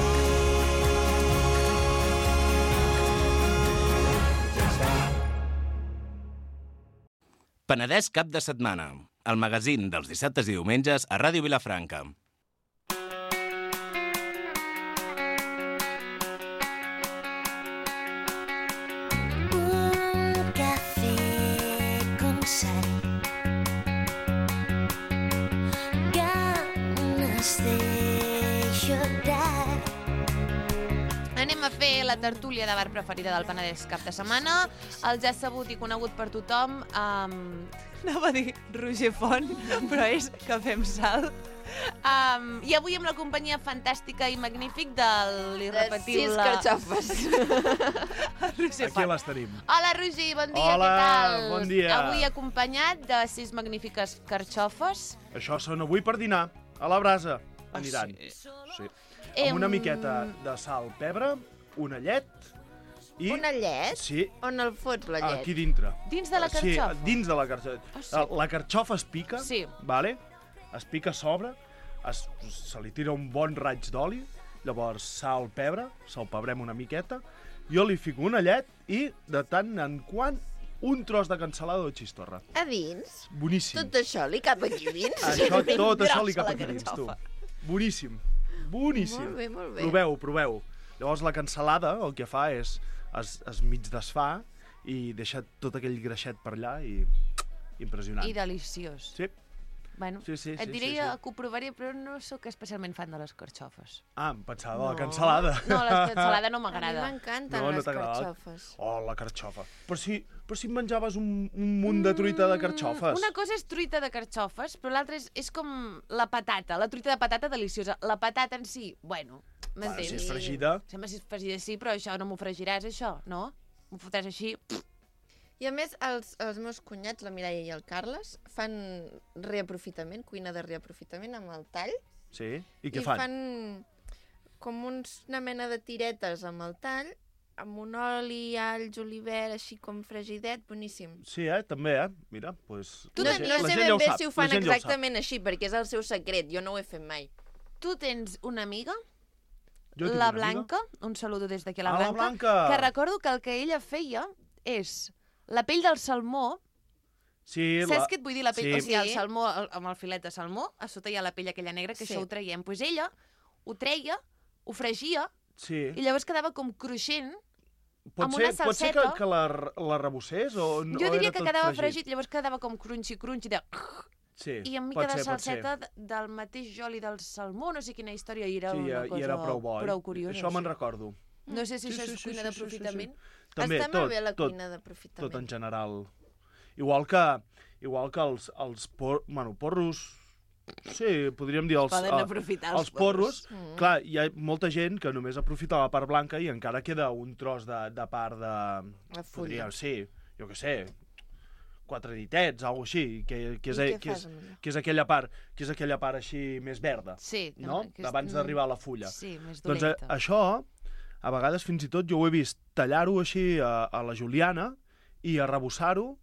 Penedès cap de setmana, el magazín dels dissabtes i diumenges a Ràdio Vilafranca. Un cafè con sal, ganes de llorar. Anem a fer la tertúlia de bar preferida del Penedès cap de setmana. El ja sabut i conegut per tothom, um, anava a dir Roger Font, però és Cafè amb Sal. Um, I avui amb la companyia fantàstica i magnífic de l'irrepetible... De sis carxofes. Roger Aquí Font. les tenim. Hola, Roger, bon dia, Hola, què tal? bon dia. Avui acompanyat de sis magnífiques carxofes. Això són avui per dinar, a la brasa. Aniran. sí? Sí. Em- Amb una miqueta de sal, pebre, una llet i... Una llet? Sí. On el fots, la llet? Aquí dintre. Dins de la carxofa? Sí, dins de la carxofa. Ah, sí? La, la carxofa es pica, Sí. vale? Es pica a sobre, es, se li tira un bon raig d'oli, llavors sal, pebre, salpebrem una miqueta, jo li fico una llet i, de tant en quant, un tros de cansalada o xistorra. A dins? Boníssim. Tot això li cap aquí dins? Això, Ben tot això li grossa cap la aquí dins, tu. carxofa. Boníssim. Boníssim. Molt bé, molt bé. Proveu, proveu. Llavors la cansalada el que fa és es, es mig desfà i deixa tot aquell greixet per allà i impressionant. I deliciós. Sí. Bueno, Sí, sí, et sí, diré sí, sí. que ho provaré, però no sóc especialment fan de les carxofes. Ah, em pensava de la cansalada. No, la cansalada no m'agrada. A mi m'encanten No, no les t'agrada? carxofes. Oh, la carxofa. Però si, però si em menjaves un, un munt de truita de carxofes. Una cosa és truita de carxofes, però l'altra és, és com la patata, la truita de patata deliciosa. La patata en si, bueno, m'entens? si és fregida. Sembla si és fregida, sí, però això no m'ho fregiràs, això, no? M'ho fotràs així... I a més, els, els meus cunyats, la Mireia i el Carles, fan reaprofitament, cuina de reaprofitament amb el tall. Sí? I què I fan? fan com uns, una mena de tiretes amb el tall, amb un oli, all, julivert, així com fregidet, boníssim. Sí, eh? També, eh? Mira, doncs... Pues, Tu no, no sé ben bé si ho fan exactament així, perquè és el seu secret, jo no ho he fet mai. Tu tens una amiga, Jo tinc la una amiga. Blanca, un saludo des d'aquí a la Ah, la Blanca, Blanca! que recordo que el que ella feia és la pell del salmó. Sí, Saps la... què et vull dir? La pell, sí. o sigui, el salmó, el, amb el filet de salmó, a sota hi ha la pell aquella negra, que Sí. això ho traiem. Doncs pues ella ho treia, ho fregia, Sí. i llavors quedava com cruixent, Pot amb ser, una pot ser que, salseta. que la, la rebossés o, no, Jo o diria era que tot quedava fregit? fregit, llavors quedava com crunchy-crunchy, de... Sí, i amb pot mica de ser, pot ser. salseta de- del mateix oli del salmó, no sé quina història, i era Sí, una i cosa era prou bo, oi? prou curiosa. Això me'n sí. recordo. No sé si Sí, això sí, és sí, cuina sí, sí, sí, d'aprofitament. sí. També, Està tot, molt bé la tot, cuina d'aprofitament. tot en general. Igual que, igual que els, els por, bueno, porros... Sí, podríem dir els, Poden eh, aprofitar els els porros. porros. Mm. Clar, hi ha molta gent que només aprofita la part blanca i encara queda un tros de, de part de... La fulla. Podria, sí, jo què sé, quatre ditets, alguna així, que, que, és, I què que, és, fas amb allò? que és aquella part, que és aquella part així més verda, Sí, no? que és- Abans d'arribar a la fulla. Sí, més Doncs eh, dolenta. això, a vegades fins i tot jo ho he vist tallar-ho així a, a la juliana i arrebossar-ho,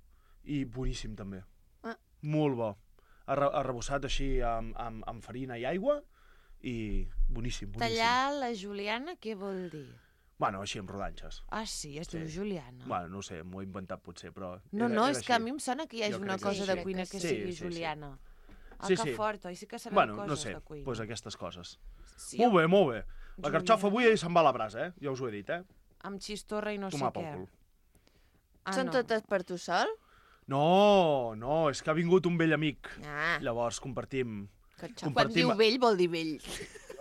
i boníssim també. Ah. Molt bo. Arre, arrebossat així amb, amb, amb farina i aigua i boníssim, boníssim. Tallar la juliana, què vol dir? Bueno, així amb rodanxes. Ah, sí, es diu Sí. juliana. Bueno, no sé, m'ho he inventat potser, però... No, era, no, era és que a així. mi em sona que hi hagi Jo una crec cosa sí. de cuina que Sí, sigui sí, sí. juliana. Ah, Sí, que sí. fort, oi? Sí que sabeu Bueno, coses no sé, de cuina. doncs aquestes coses. Sí, molt bé, molt bé. La Juliana. carxofa avui se'n va a la brasa, eh? Ja us ho he dit, eh? Amb xistorra i no Tomar sé pel què. cul. Ah, Són no. totes per tu sol? No, no, és que ha vingut un vell amic. Ah. Llavors compartim... Quan diu vell, vol dir vell.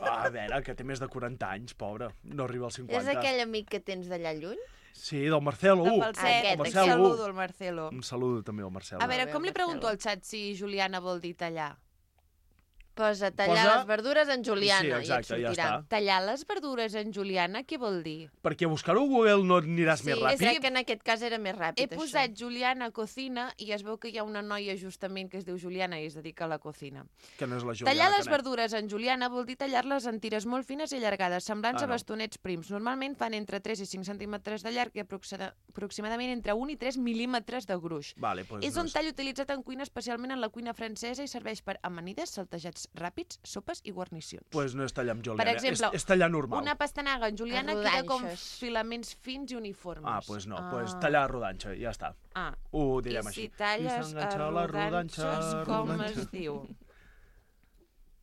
Ah, a veure, que té més de quaranta anys, pobre. No arriba als cinquanta. És aquell amic que tens d'allà lluny? Sí, del Marcelo. De Uh, Falset, el un Marcelo. saludo al Marcelo. Un saludo també al Marcelo. A veure, com li pregunto al xat si Juliana vol dir tallar? Posa tallar Posa- les verdures en juliana Sí, exacte, i et ja sortirà. està. Tallar les verdures en juliana, què vol dir? Perquè buscar-ho a Google no aniràs Sí, més és ràpid. que en aquest cas era més ràpid, He això. posat Juliana Cocina i es veu que hi ha una noia justament que es diu Juliana i es dedica a la cocina. Que no és la Juliana Tallar les Canet. verdures en juliana vol dir tallar-les en tires molt fines i allargades, semblants Ah, a no. bastonets prims. Normalment fan entre tres i cinc centímetres de llarg i aproxima- aproximadament entre un i tres mil·límetres de gruix. Vale, pues és no un és- tall utilitzat en cuina, especialment en la cuina francesa, i serveix per amanides, saltejats ràpids, sopes i guarnicions. Pues no és tallar amb juliana, Per exemple, és, és tallar normal. una pastanaga en juliana En queda com rodanxes. filaments fins i uniformes. Ah, pues no, Ah. pues tallar a rodanxa, ja està. Ah. Ho direm I així. si talles s'enganxa a la rodanxes, com rodanxa. es diu?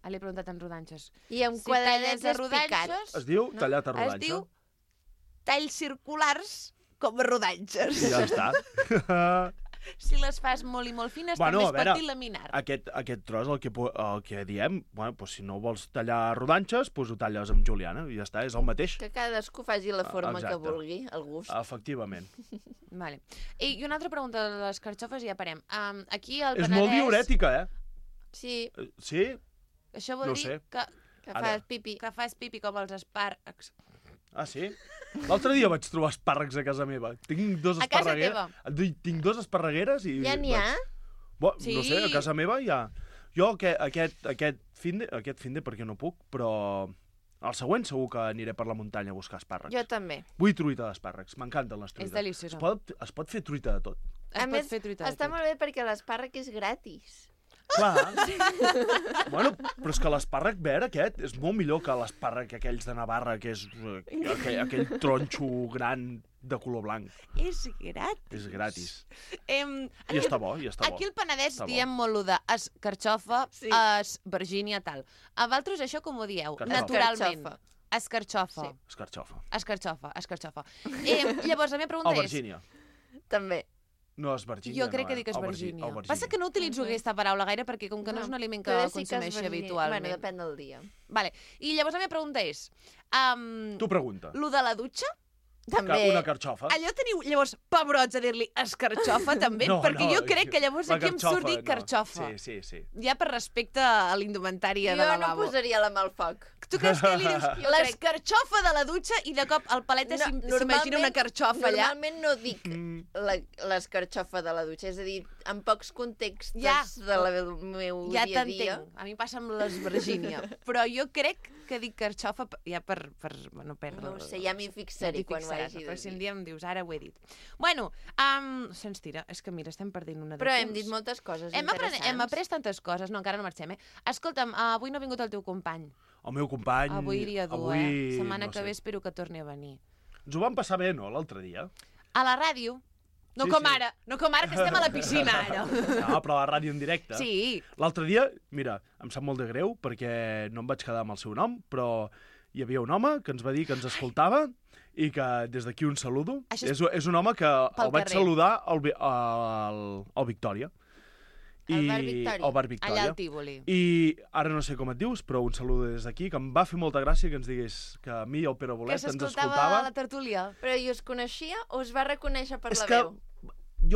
Ah, l'he preguntat en rodanxes. I amb Si quadradets talles a rodanxes, espicats. Es diu tallat a Es rodanxa. diu talls circulars com a rodanxes. Ja està. Si les fas molt i molt fines, Bueno, també a es pot veure, dir laminar. aquest, aquest tros, el que, po- el que diem, bueno, pues si no vols tallar rodanxes, pues ho talles amb juliana i ja està, és el mateix. Que cadascú faci la forma que Exacte. vulgui, el gust. Efectivament. Vale. I, I una altra pregunta de les carxofes i ja parem. Um, aquí al És Penedès... molt diurètica, eh? Sí. Eh, Sí? Això vol No dir sé. que, Que Ara. fas pipi. que fas pipi com els espàrrecs. Ah, sí? L'altre dia vaig trobar espàrrecs a casa meva. Tinc dos A casa esparregueres. Tinc dos esparregueres i... Ja n'hi ha? vaig- Bo, Sí. No sé, a casa meva hi ha... Jo aquest, aquest, aquest finde, aquest finde perquè no puc, però el següent segur que aniré per la muntanya a buscar espàrrecs. Jo també. Vull truita d'espàrrecs, m'encanten les truites. deliciosa. Es pot, es pot fer truita de tot. Es A pot més, fer truita de està tot. molt bé perquè l'espàrrec és gratis. Clar. Bueno, però és que l'espàrrec verd aquest és molt millor que l'espàrrec aquells de Navarra, que és eh, aquell, aquell tronxo gran de color blanc. És gratis. És gratis. Em, I està bo, i està bo. Aquí al Penedès Està bo. diem molt lo de escarxofa, Sí. es Virgínia, tal. A vosaltres això com ho dieu? Carxofa. Naturalment. Escarxofa. Escarxofa. Sí. Escarxofa. Escarxofa, escarxofa. Eh, llavors, la meva pregunta O és... Virgínia. També. No, és Virgínia. Jo crec no, que eh? dic que és O Virgí- Virgínia. o Virgínia. Passa que no utilitzo aquesta paraula gaire perquè com que no, No, és un aliment que però sí que és consumeixi virgínia. habitualment. Bueno, depèn del dia. Vale. I llavors la meva pregunta és... Um, Tu pregunta. lo de la dutxa? També. Que una carxofa. Allò teniu, llavors, pebrots a dir-li escarxofa, també? No, perquè no, jo crec que llavors la aquí em surt dir no. carxofa. Sí, sí, sí. Ja per respecte a l'indumentària Jo de no lavabo. posaria la mà al foc. Tu creus que li dius Jo l'escarxofa de la dutxa i de cop el palet No, s'im- s'imagina normalment- una carxofa allà? Normalment no dic Mm. la- l'escarxofa de la dutxa, és a dir, en pocs contextos Ja. de la del meu Ja dia a dia. t'entenc. A mi passa amb les Virgínia. Però jo crec que dic carxofa p- ja per... per bueno, per No ho sé, ja m'hi fixaré t'hi quan ho fixaràs, hagi de Però si un dir. dia em dius, ara ho he dit. Bueno, um, se'ns tira. És que mira, estem perdent una de Però temps. hem dit moltes coses Hem, apren interessants. hem après tantes coses. No, encara no marxem, eh? Escolta'm, uh, avui no ha vingut el teu company. El meu company... Avui dia dur, avui, eh? Setmana no que sé. ve espero que torni a venir. Ens ho vam passar bé, no, l'altre dia? A la ràdio. No Sí, com sí. ara, no com ara que estem a la piscina, ara. No, però a la ràdio en directe. Sí. L'altre dia, mira, em sap molt de greu perquè no em vaig quedar amb el seu nom, però hi havia un home que ens va dir que ens escoltava i que des d'aquí un saludo. Això és és, és un home que pel el vaig carrer. saludar al, Vi- al, al Victòria. Al bar Victòria. Al bar Victòria. Allà al Tívoli. I ara no sé com et dius, però un saludo des d'aquí, que em va fer molta gràcia que ens digués que a mi i el Pere Que Bolet ens s'escoltava escoltava. a la tertúlia. Però i us coneixia o us va reconèixer per És la que veu?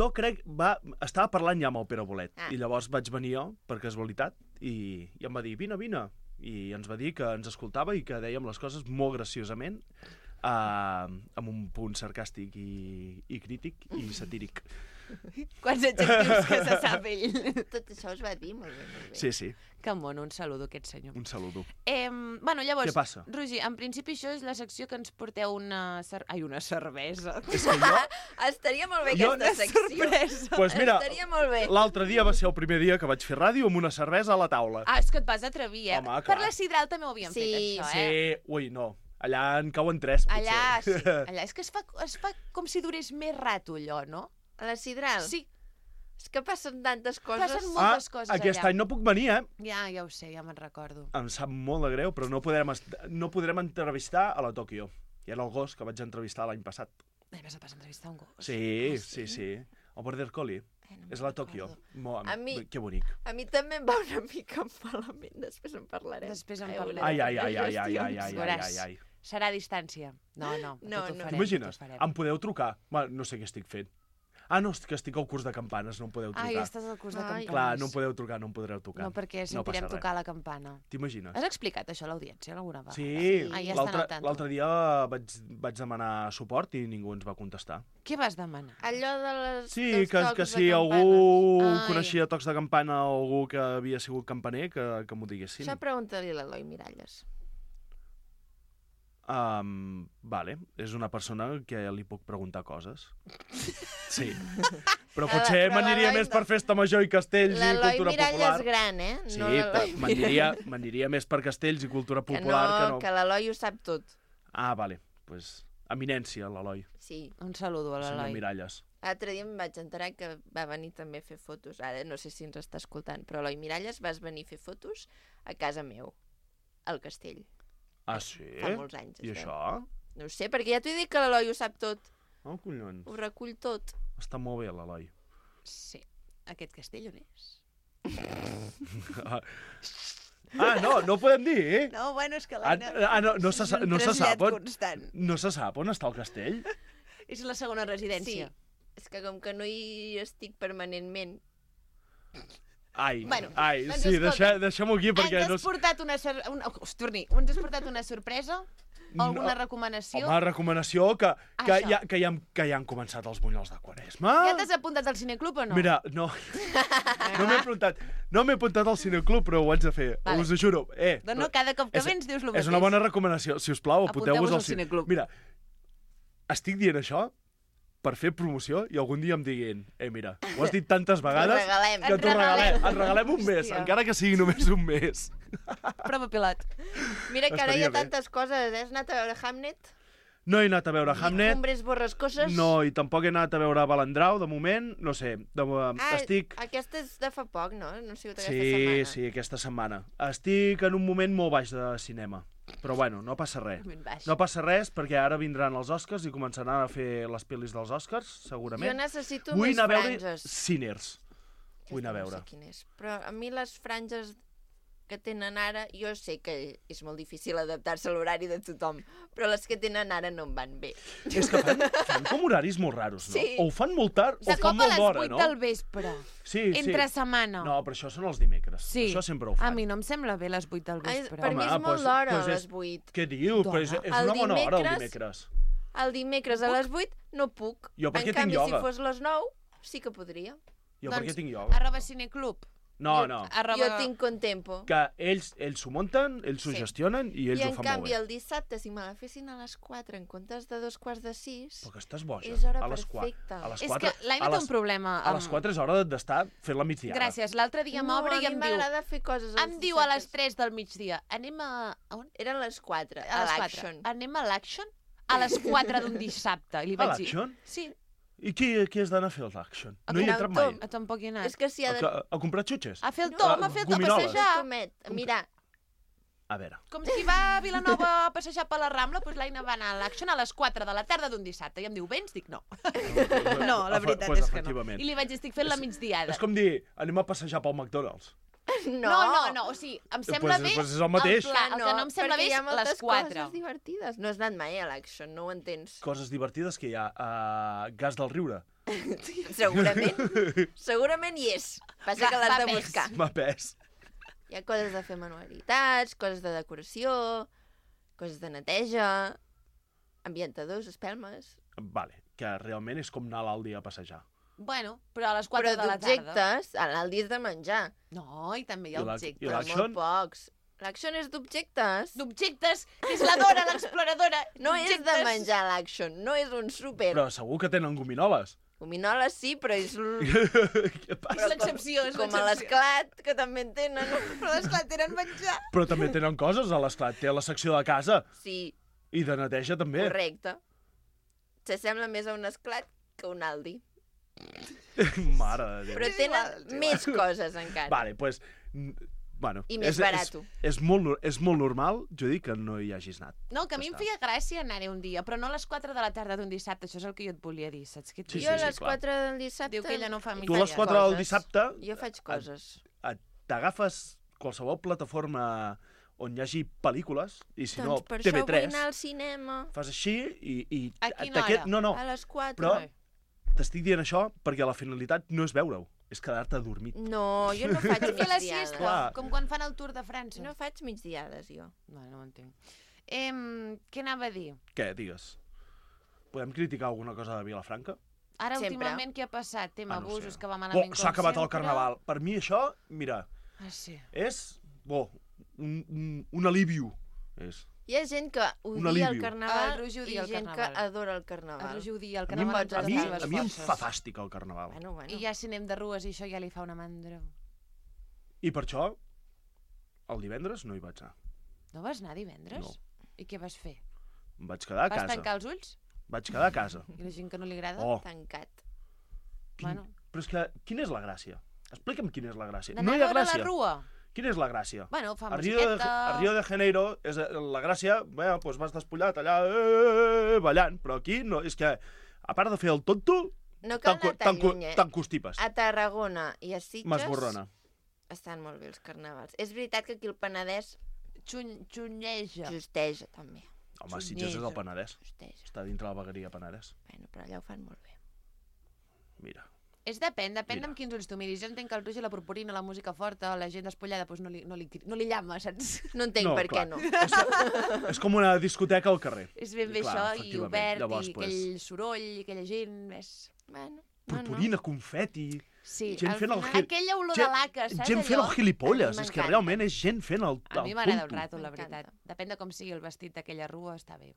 jo crec, va, estava parlant ja amb el Pere Bolet, Ah. i llavors vaig venir jo, per casualitat, i, i em va dir, vine, vine, i ens va dir que ens escoltava i que dèiem les coses molt graciosament, uh, amb un punt sarcàstic i, i crític i satíric. Quants adjectius que se sap ell. Tot això us va dir, molt bé, molt bé. Sí, sí, Que mono, un saludo a aquest senyor. un saludo. Eh, bueno, llavors, Què passa? Roger, en principi això és la secció que ens porteu una... Cer... Ai, una cervesa. És que jo, Estaria molt bé Jo- aquesta secció. Sorpresa. pues mira, Estaria molt bé. l'altre dia va ser el primer dia que vaig fer ràdio amb una cervesa a la taula. Ah, és que et vas atrevir, eh? Home, per clar. la Sidral també ho havíem Sí, fet, això, Sí, eh? ui, no, allà en cauen tres, potser. Allà, sí. Allà. És que es fa, es fa com si durés més rato, allò, no? A la Sidral? Sí. És que passen tantes coses. Passen Ah, moltes coses aquest allà. any no puc venir, eh? Ja, ja ho sé, ja me'n recordo. Em sap molt de greu, però no podrem, est- no podrem entrevistar a la Tòquio. I era el gos que vaig entrevistar l'any passat. Ai, vas a passar a entrevistar un gos. Sí, sí, sí. El Border Collie. Eh, no És me'n la Tòquio. recordo. Mo, A mi- Que bonic. A mi també em va una mica malament, després en parlarem. Després en Ai, parlarem. Ai, ai, ai, ai, ai, ai, ai, ai, Veuràs. ai, ai. Serà a distància. No, no, No, tot ho no. farem, T'imagines? tot ho farem. Em podeu trucar? Bueno, no sé què estic fent. Ah, no, que estic al curs de campanes, no em podeu trucar. Ai, estàs al curs de campanes. Clar, no em podeu trucar, no em podreu trucar. No, perquè sentirem passa tocar res. la campana. T'imagines? Has explicat això a l'audiència alguna vegada? Sí, Ah, ja estan l'altre al tanto. l'altre dia vaig, vaig demanar suport i ningú ens va contestar. Què vas demanar? Allò de les, Sí, dels que, tocs que de si campanes. algú Ai. coneixia tocs de campana o algú que havia sigut campaner, que, que m'ho diguessin. Això pregunta-li a l'Eloi Miralles. Um, vale, és una persona que li puc preguntar coses. Sí. Però Ah, potser però m'aniria l'Eloi més no. per festa major i castells i L'Eloi cultura Miralles popular. gran, eh? Sí, No però l'Eloi m'aniria m'aniria més per castells i cultura Que popular no, que no. que l'Eloi ho sap tot. Ah, vale, doncs pues, eminència, l'Eloi. Sí. Un saludo a El senyor l'Eloi. Miralles. L'altre dia em vaig enterar que va venir també a fer fotos. Ara no sé si ens està escoltant, però Eloi Miralles vas venir a fer fotos a casa meu, al castell. Ah, sí? Fa molts anys. I es veu. això? No ho sé, perquè ja t'ho he dit que l'Eloi ho sap tot. Oh, collons. Ho recull tot. Està molt bé, l'Eloi. Sí. Aquest castell on és? Ah, no, no ho podem dir, eh? No, bueno, és que Ah, l'Aina... ah, no, no, se, sa- és un no se trasllat sap on, constant. no se sap on està el castell? És la segona residència. Sí. És que com que no hi estic permanentment... Ai, Bueno, ai, doncs sí, escolta, deixa, deixem-ho aquí perquè Ens no... has portat una... Sor... una... Oh, torni, ens has portat una sorpresa? Alguna recomanació? Home, recomanació que, que, Això. ja, que, ja, han- que ja han començat els bunyols de Quaresma. Ja t'has apuntat al cineclub o no? Mira, no, no m'he apuntat, no m'he apuntat al cineclub, però ho haig de fer, Vale. us ho juro. Eh, No, no, cada cop que és- vens dius el mateix. És una bona recomanació. Si us plau, apunteu-vos Apunteu-vos al al cineclub. Mira, estic dient això per fer promoció i algun dia em diguin eh, mira, ho has dit tantes vegades regalem. que Et t'ho regalem. regalem. Et regalem un mes, Hòstia. encara que sigui només un mes. Prova pilot. Mira que ara hi ha Estaria bé. tantes coses. eh? Has anat a veure Hamnet? No he anat a veure Ni Hamnet. Cumbres borrascoses? No, i tampoc he anat a veure Balandrau, de moment, no sé, de, Ah, estic... aquesta és de fa poc, no? No ha sigut aquesta Sí, setmana. sí, aquesta setmana. Estic en un moment molt baix de cinema. Però bueno, no passa res. Moment baix. No passa res perquè ara vindran els Oscars i començaran a fer les pel·lis dels Oscars, segurament. Jo necessito Vull més anar a veure franges. Sinners. Vull anar a veure. No sé quin és. Però a mi les franges que tenen ara, jo sé que és molt difícil adaptar-se a l'horari de tothom, però les que tenen ara no em van bé. És que fan, fan com horaris molt raros, no? Sí. O ho fan molt tard o De fan cop a molt les d'hora, vuit no? del vespre. Sí, Entre sí. setmana. No, però això són els dimecres. Sí. Això sempre ho A fan. mi no em sembla bé les vuit del Ai, vespre. per mi és Home, molt doncs- d'hora, doncs a és- les vuit. Què dius? Però és, és El una bona hora, el dimecres- dimecres. El dimecres a les vuit no puc. Jo per en què tinc canvi, ioga? si fos les nou, sí que podria. Jo Doncs per què tinc ioga? Arroba cineclub. No, no. Arroba... Jo tinc contempo. Que ells ells s'ho munten, ells s'ho Sí. gestionen i ells I ho en fan canvi, molt bé. el dissabte, si me la fessin a les quatre en comptes de dos quarts de sis... Però que estàs boja. És hora a les qua- perfecta. A les És quatre, que l'Aina a té les- un problema A les amb- quatre és hora d'estar fent la migdiada. Gràcies. L'altre dia No, m'obre a i mi em diu... m'agrada fer coses els Em diu a les dissabtes. tres del migdia. Anem a... a on? Eren les quatre, A a les l'Action. quatre. Anem a l'Action? A les quatre d'un dissabte. I li A vaig dir... l'Action? Sí. I qui, qui has d'anar a fer el l'Action? No hi he Anar entrat al mai. Tom. A tampoc hi he anat. És que si ha A, de... a, a comprar xutxes? A fer el No, tom, a a fer el tom, a gominoles. passejar. Tomet, mira, A veure. Com si va a Vilanova a passejar per la Rambla, doncs l'Aina va anar a l'Action a les quatre de la tarda d'un dissabte. I em diu, vens? Dic, no. No, la Efe- veritat pues és que no. efectivament. I li vaig dir, estic fent la migdiada. És com dir, anem a passejar pel McDonald's. no. No, no, no, o sigui, em sembla Pues- bé pues és el mateix. el pla. El que no em sembla perquè bé hi ha és moltes les quatre. coses divertides. No has anat mai a l'Action, no ho entens. Coses divertides que hi ha. Uh, gas del riure. Segurament, segurament hi és. Passa Va- que l'has va de pes. buscar. M'ha pes. Hi ha coses de fer manualitats, coses de decoració, coses de neteja, ambientadors, espelmes... Vale, que realment és com anar a l'Aldi a passejar. Bueno, però a les quatre Però de la tarda. d'objectes, a l'Aldi és de menjar. No, i també hi ha I la- objectes. i Però l'Action? molt pocs. L'Action és d'objectes. D'objectes, és la Dora, l'exploradora. No és de d'objectes. menjar l'Action, no és un súper. Però segur que tenen gominoles. Gominoles sí, però és... l- Què És passa? l'excepció, és Com a l'excepció. l'esclat, que també en tenen. Però l'esclat tenen menjar. Però també tenen coses a l'esclat. Té la secció de casa Sí, i de neteja també. correcte. S'assembla més a un esclat que a un Aldi. Mare de Déu. Però És tenen igual, és igual. més coses encara. Vale, doncs... Pues, bueno, I més és, barato. És, és, molt, nor- és molt normal, jo dic, que no hi hagis anat. No, que a mi Ja em està. feia gràcia anar-hi un dia, però no a les quatre de la tarda d'un dissabte, això és el que jo et volia dir, saps què et Sí, dic? jo sí, a les clar. quatre del dissabte... Diu que ella no fa hi Tu a les faig quatre del coses. dissabte Jo faig coses. et- t'agafes qualsevol plataforma on hi hagi pel·lícules, i si Doncs per no, T V això vull tres, anar al cinema. fas així i... i A quina t'aquest- hora? No, no, A les quatre. però t'estic dient això perquè la finalitat no és veure-ho, és quedar-te adormit. No, jo no faig Fer la migdiades. siesta, Clar. com quan fan el Tour de França. No faig migdiades, jo. No, no ho entenc. Em, què anava a dir? Què, digues? Podem criticar alguna cosa de Vilafranca? Ara, Sempre. últimament, què ha passat? Tema Ah, no ho abusos, sé. que va Oh, malament com s'ha acabat el sempre. carnaval. Per mi això, mira, Ah, sí. és... Bo, un, un, un alivio. És. Hi ha gent que Un odia el alivio. carnaval El Roger i odia el gent carnaval. que adora el carnaval. El Roger odia el A mi, em- carnaval. a mi, amb totes les a mi em forces. fa fàstic el carnaval. Bueno, bueno. I ja si anem de rues i això ja li fa una mandra. I per això, el divendres no hi vaig anar. No vas anar divendres? No. I què vas fer? Em vaig quedar a Vas casa. tancar els ulls? Vaig quedar a casa. I la gent que no li agrada? Oh. Tancat. Quin... Bueno. Però és que, quina és la gràcia? Explica'm quina és la gràcia. D'anar No hi ha a veure gràcia. la rua? Quina és la gràcia? Bueno, fa a Rio, de, musiqueta... a Rio de Janeiro, és eh, la gràcia, bé, doncs vas despullat allà, eh, ballant, però aquí no, és que, a part de fer el tonto, No cal anar tan lluny, eh? t'encostipes. A Tarragona i a Sitges M'esborrona. estan molt bé els carnavals. És veritat que aquí el Penedès Xun, xunyeja. justeja, també. Home, Sitges és el Penedès. Justeja. Està dintre la vegueria Penedès. Bueno, però allà ho fan molt bé. Mira. És depèn, depèn Mira. amb quins ulls tu miris. Jo entenc que el Roger, la purpurina, la música forta, la gent despullada, doncs no li, no li, no li llama, saps? No entenc No, per clar. què no. És, és com una discoteca al carrer. És ben bé Clar, això, i efectivament. obert, Llavors, i pues, aquell soroll, i aquella gent, més... Bueno, Purpurina, confeti... Sí, gent al fent el final, gil- aquella olor gent- de laca, saps Gent fent allò? el gilipolles, A mi és que m'encanta. realment és gent fent el, A mi el m'agrada el tonto. rato, la veritat. Depèn de com sigui el vestit d'aquella rua, està bé.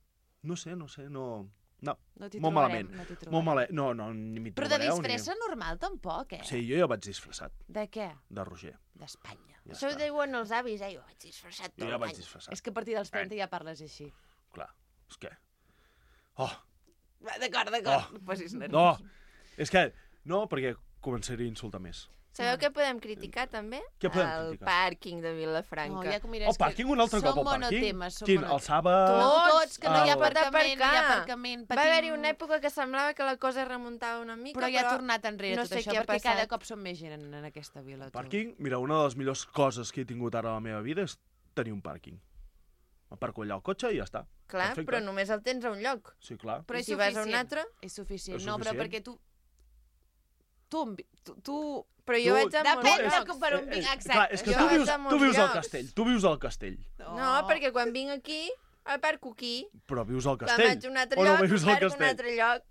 No sé, no sé, no... No, No t'hi molt trobarem, malament. no t'hi trobarem. molt malament. No, no, ni m'hi Però de trobareu. disfressa normal tampoc, eh? Ni... Sí, jo ja vaig disfressat, De què? de Roger. D'Espanya. Ja Això ho està. diuen els avis, eh? Jo vaig disfressat tot Jo ja vaig l'any. disfressat. És que a partir dels trenta ja parles així. Clar, és que... Oh, Va, D'acord, d'acord, Oh. no posis nervis. no, és que... No, perquè començaré a insultar més. Sabeu què podem criticar, també? Què podem el criticar? pàrquing de Vilafranca. No, ja que mira, El és que pàrquing un altre som cop, el pàrquing? monotemes, som Quin? monotemes. El sàbat... No, tots, que no hi ha el- aparcament, no hi ha aparcament. Va haver-hi una època que semblava que la cosa es remuntava una mica, Però ja ha tornat enrere no tot sé això, què ha perquè passat. cada cop som més gent en, en aquesta vila. El tu. pàrquing, mira, una de les millors coses que he tingut ara a la meva vida és tenir un pàrquing. M'aparco allà el cotxe i ja està. Clar, Perfecte. però només el tens a un lloc. Sí, clar. Però I és si vas a un suficient. altre? És suficient. És No, però suficient. perquè tu... Tu... tu, tu... Però jo Tu- vaig a molts Depèn de llocs. com per on vinc. Eh, Exacte. clar, és que Jo tu vaig vius, a tu molts vius al llocs. castell, tu vius al castell. No, perquè quan vinc aquí, aparco aquí. Però vius al Quan castell. vaig a un altre o no lloc, vius al aparco a un castell? altre lloc.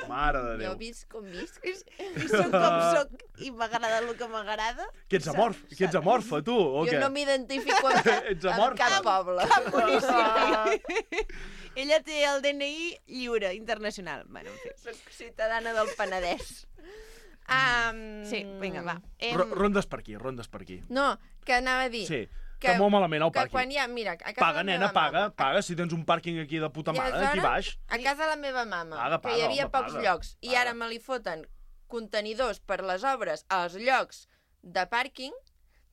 Mare de Jo Déu. visc com visc. I soc com soc i m'agrada el que m'agrada. Que ets amorf, que ets amorfa, tu, o Jo què? no m'identifico amb, cap- Ets amb amorfa. cap poble. Cap municipi. Ella té el D N I lliure, internacional. Bueno, en fi. Soc ciutadana del Penedès. Um... Sí, vinga, va. Ro- Rondes per aquí, rondes per aquí. No, que anava a dir... Sí, que molt malament el que pàrquing. quan hi ha, mira, a casa Paga, de la nena, meva paga, mama, paga. Si tens un pàrquing aquí de puta I mare, aquí baix. A casa de la meva mama, Paga, que paga, hi havia home, pocs paga, llocs, i ara me li foten contenidors per les obres als llocs de pàrquing,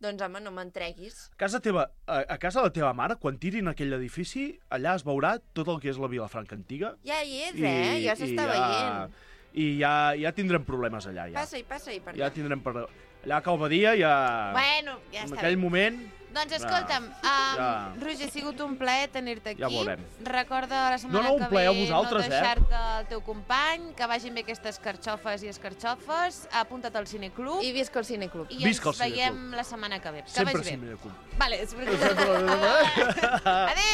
doncs home, no m'entreguis. A casa teva, a, a casa de la teva mare, quan tirin aquell edifici, allà es veurà tot el que és la Vilafranca antiga. Ja hi és, eh? Ja s'està veient. I ja, ja tindrem problemes allà, ja. Passa-hi, passa-hi per Ja allà. tindrem per... Allà a Calvadia ja... Bueno, ja En està aquell bé. moment... Doncs escolta'm, um, Ja. Roger, ha sigut un plaer tenir-te aquí. Ja veurem. Recorda la setmana No, no, un que plaer a ve vosaltres, no eh? deixar-te el teu company, que vagin bé aquestes carxofes i escarxofes, apunta't al cineclub. I visca el cineclub. I Visca el ens veiem cineclub. la setmana que ve. Que Sempre vagi sí, bé. mira com... Vale, és Adéu!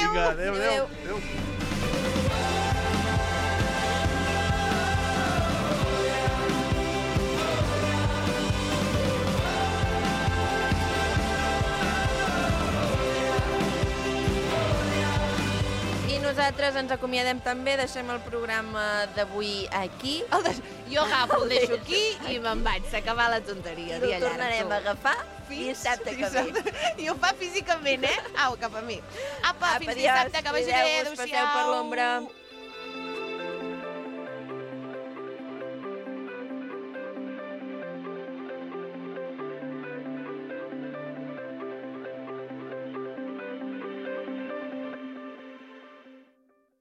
Vinga, adéu, adéu. Adéu. adéu. I nosaltres ens acomiadem també, deixem el programa d'avui aquí. El des... Jo agafo, el deixo aquí i me'n vaig. S'ha acabat la tonteria. Ho dia llarg, tornarem tu. a agafar dissabte que ve. I ho fa físicament, eh? Au, cap a mi. Apa, Apa, fins adiós. dissabte, que vagi bé. Cuideu-vos, passeu per l'ombra.